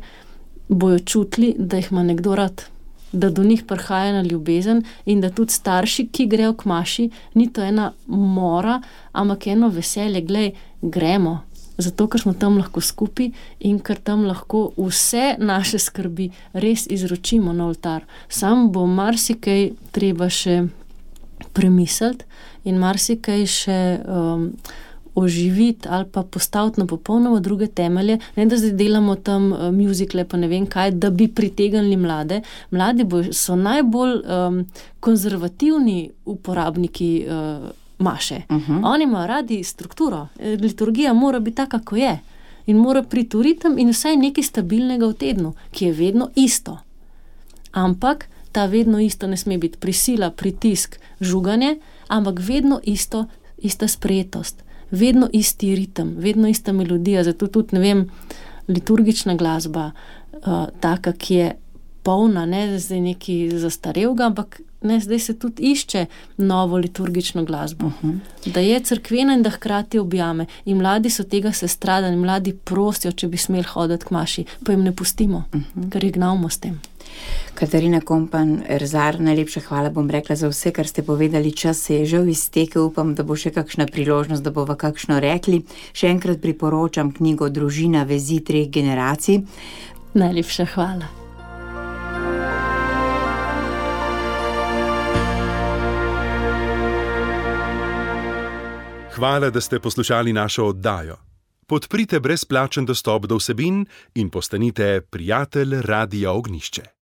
S3: bojo čutili, da jih ima nekdo rad, da do njih prihaja na ljubezen in da tudi starši, ki grejo k maši, ni to ena mora, ampak eno veselje, gremo. Zato, ker smo tam lahko skupaj in ker tam lahko vse naše skrbi res izročimo na oltar. Sam bo marsikaj treba še premisliti in marsikaj še oživiti ali pa postaviti na popolnoma druge temelje, ne da zdaj delamo tam muzikle pa ne vem kaj, da bi pritegnili mlade. Mladi so najbolj konzervativni uporabniki maše. Oni imajo radi strukturo. Liturgija mora biti taka, kako je. In mora priti v ritem in vsaj nekaj stabilnega v tednu, ki je vedno isto. Ampak ta vedno isto ne sme biti prisila, pritisk, žuganje, ampak vedno ista sprejetost, vedno isti ritem, vedno ista melodija. Zato tudi, ne vem, liturgična glasba, taka, ki je polna, ne zdaj neki zastarevga, ampak ne, zdaj se tudi išče novo liturgično glasbo. Da je cerkvena in da hkrati objame. In mladi so tega sestradani, mladi prosijo, če bi smeli hoditi k maši, pa jim ne pustimo, ker jih gnavimo s tem.
S2: Katarina Kompan Erzar, najlepša hvala, bom rekla, za vse, kar ste povedali. Čas se je že iztekel, upam, da bo še kakšna priložnost, da bova kakšno rekli. Še enkrat priporočam knjigo Družina, vezi 3 generacij.
S3: Najlepša hvala.
S4: Hvala, da ste poslušali našo oddajo. Podprite brezplačen dostop do vsebin in postanite prijatelj Radia Ognjišče.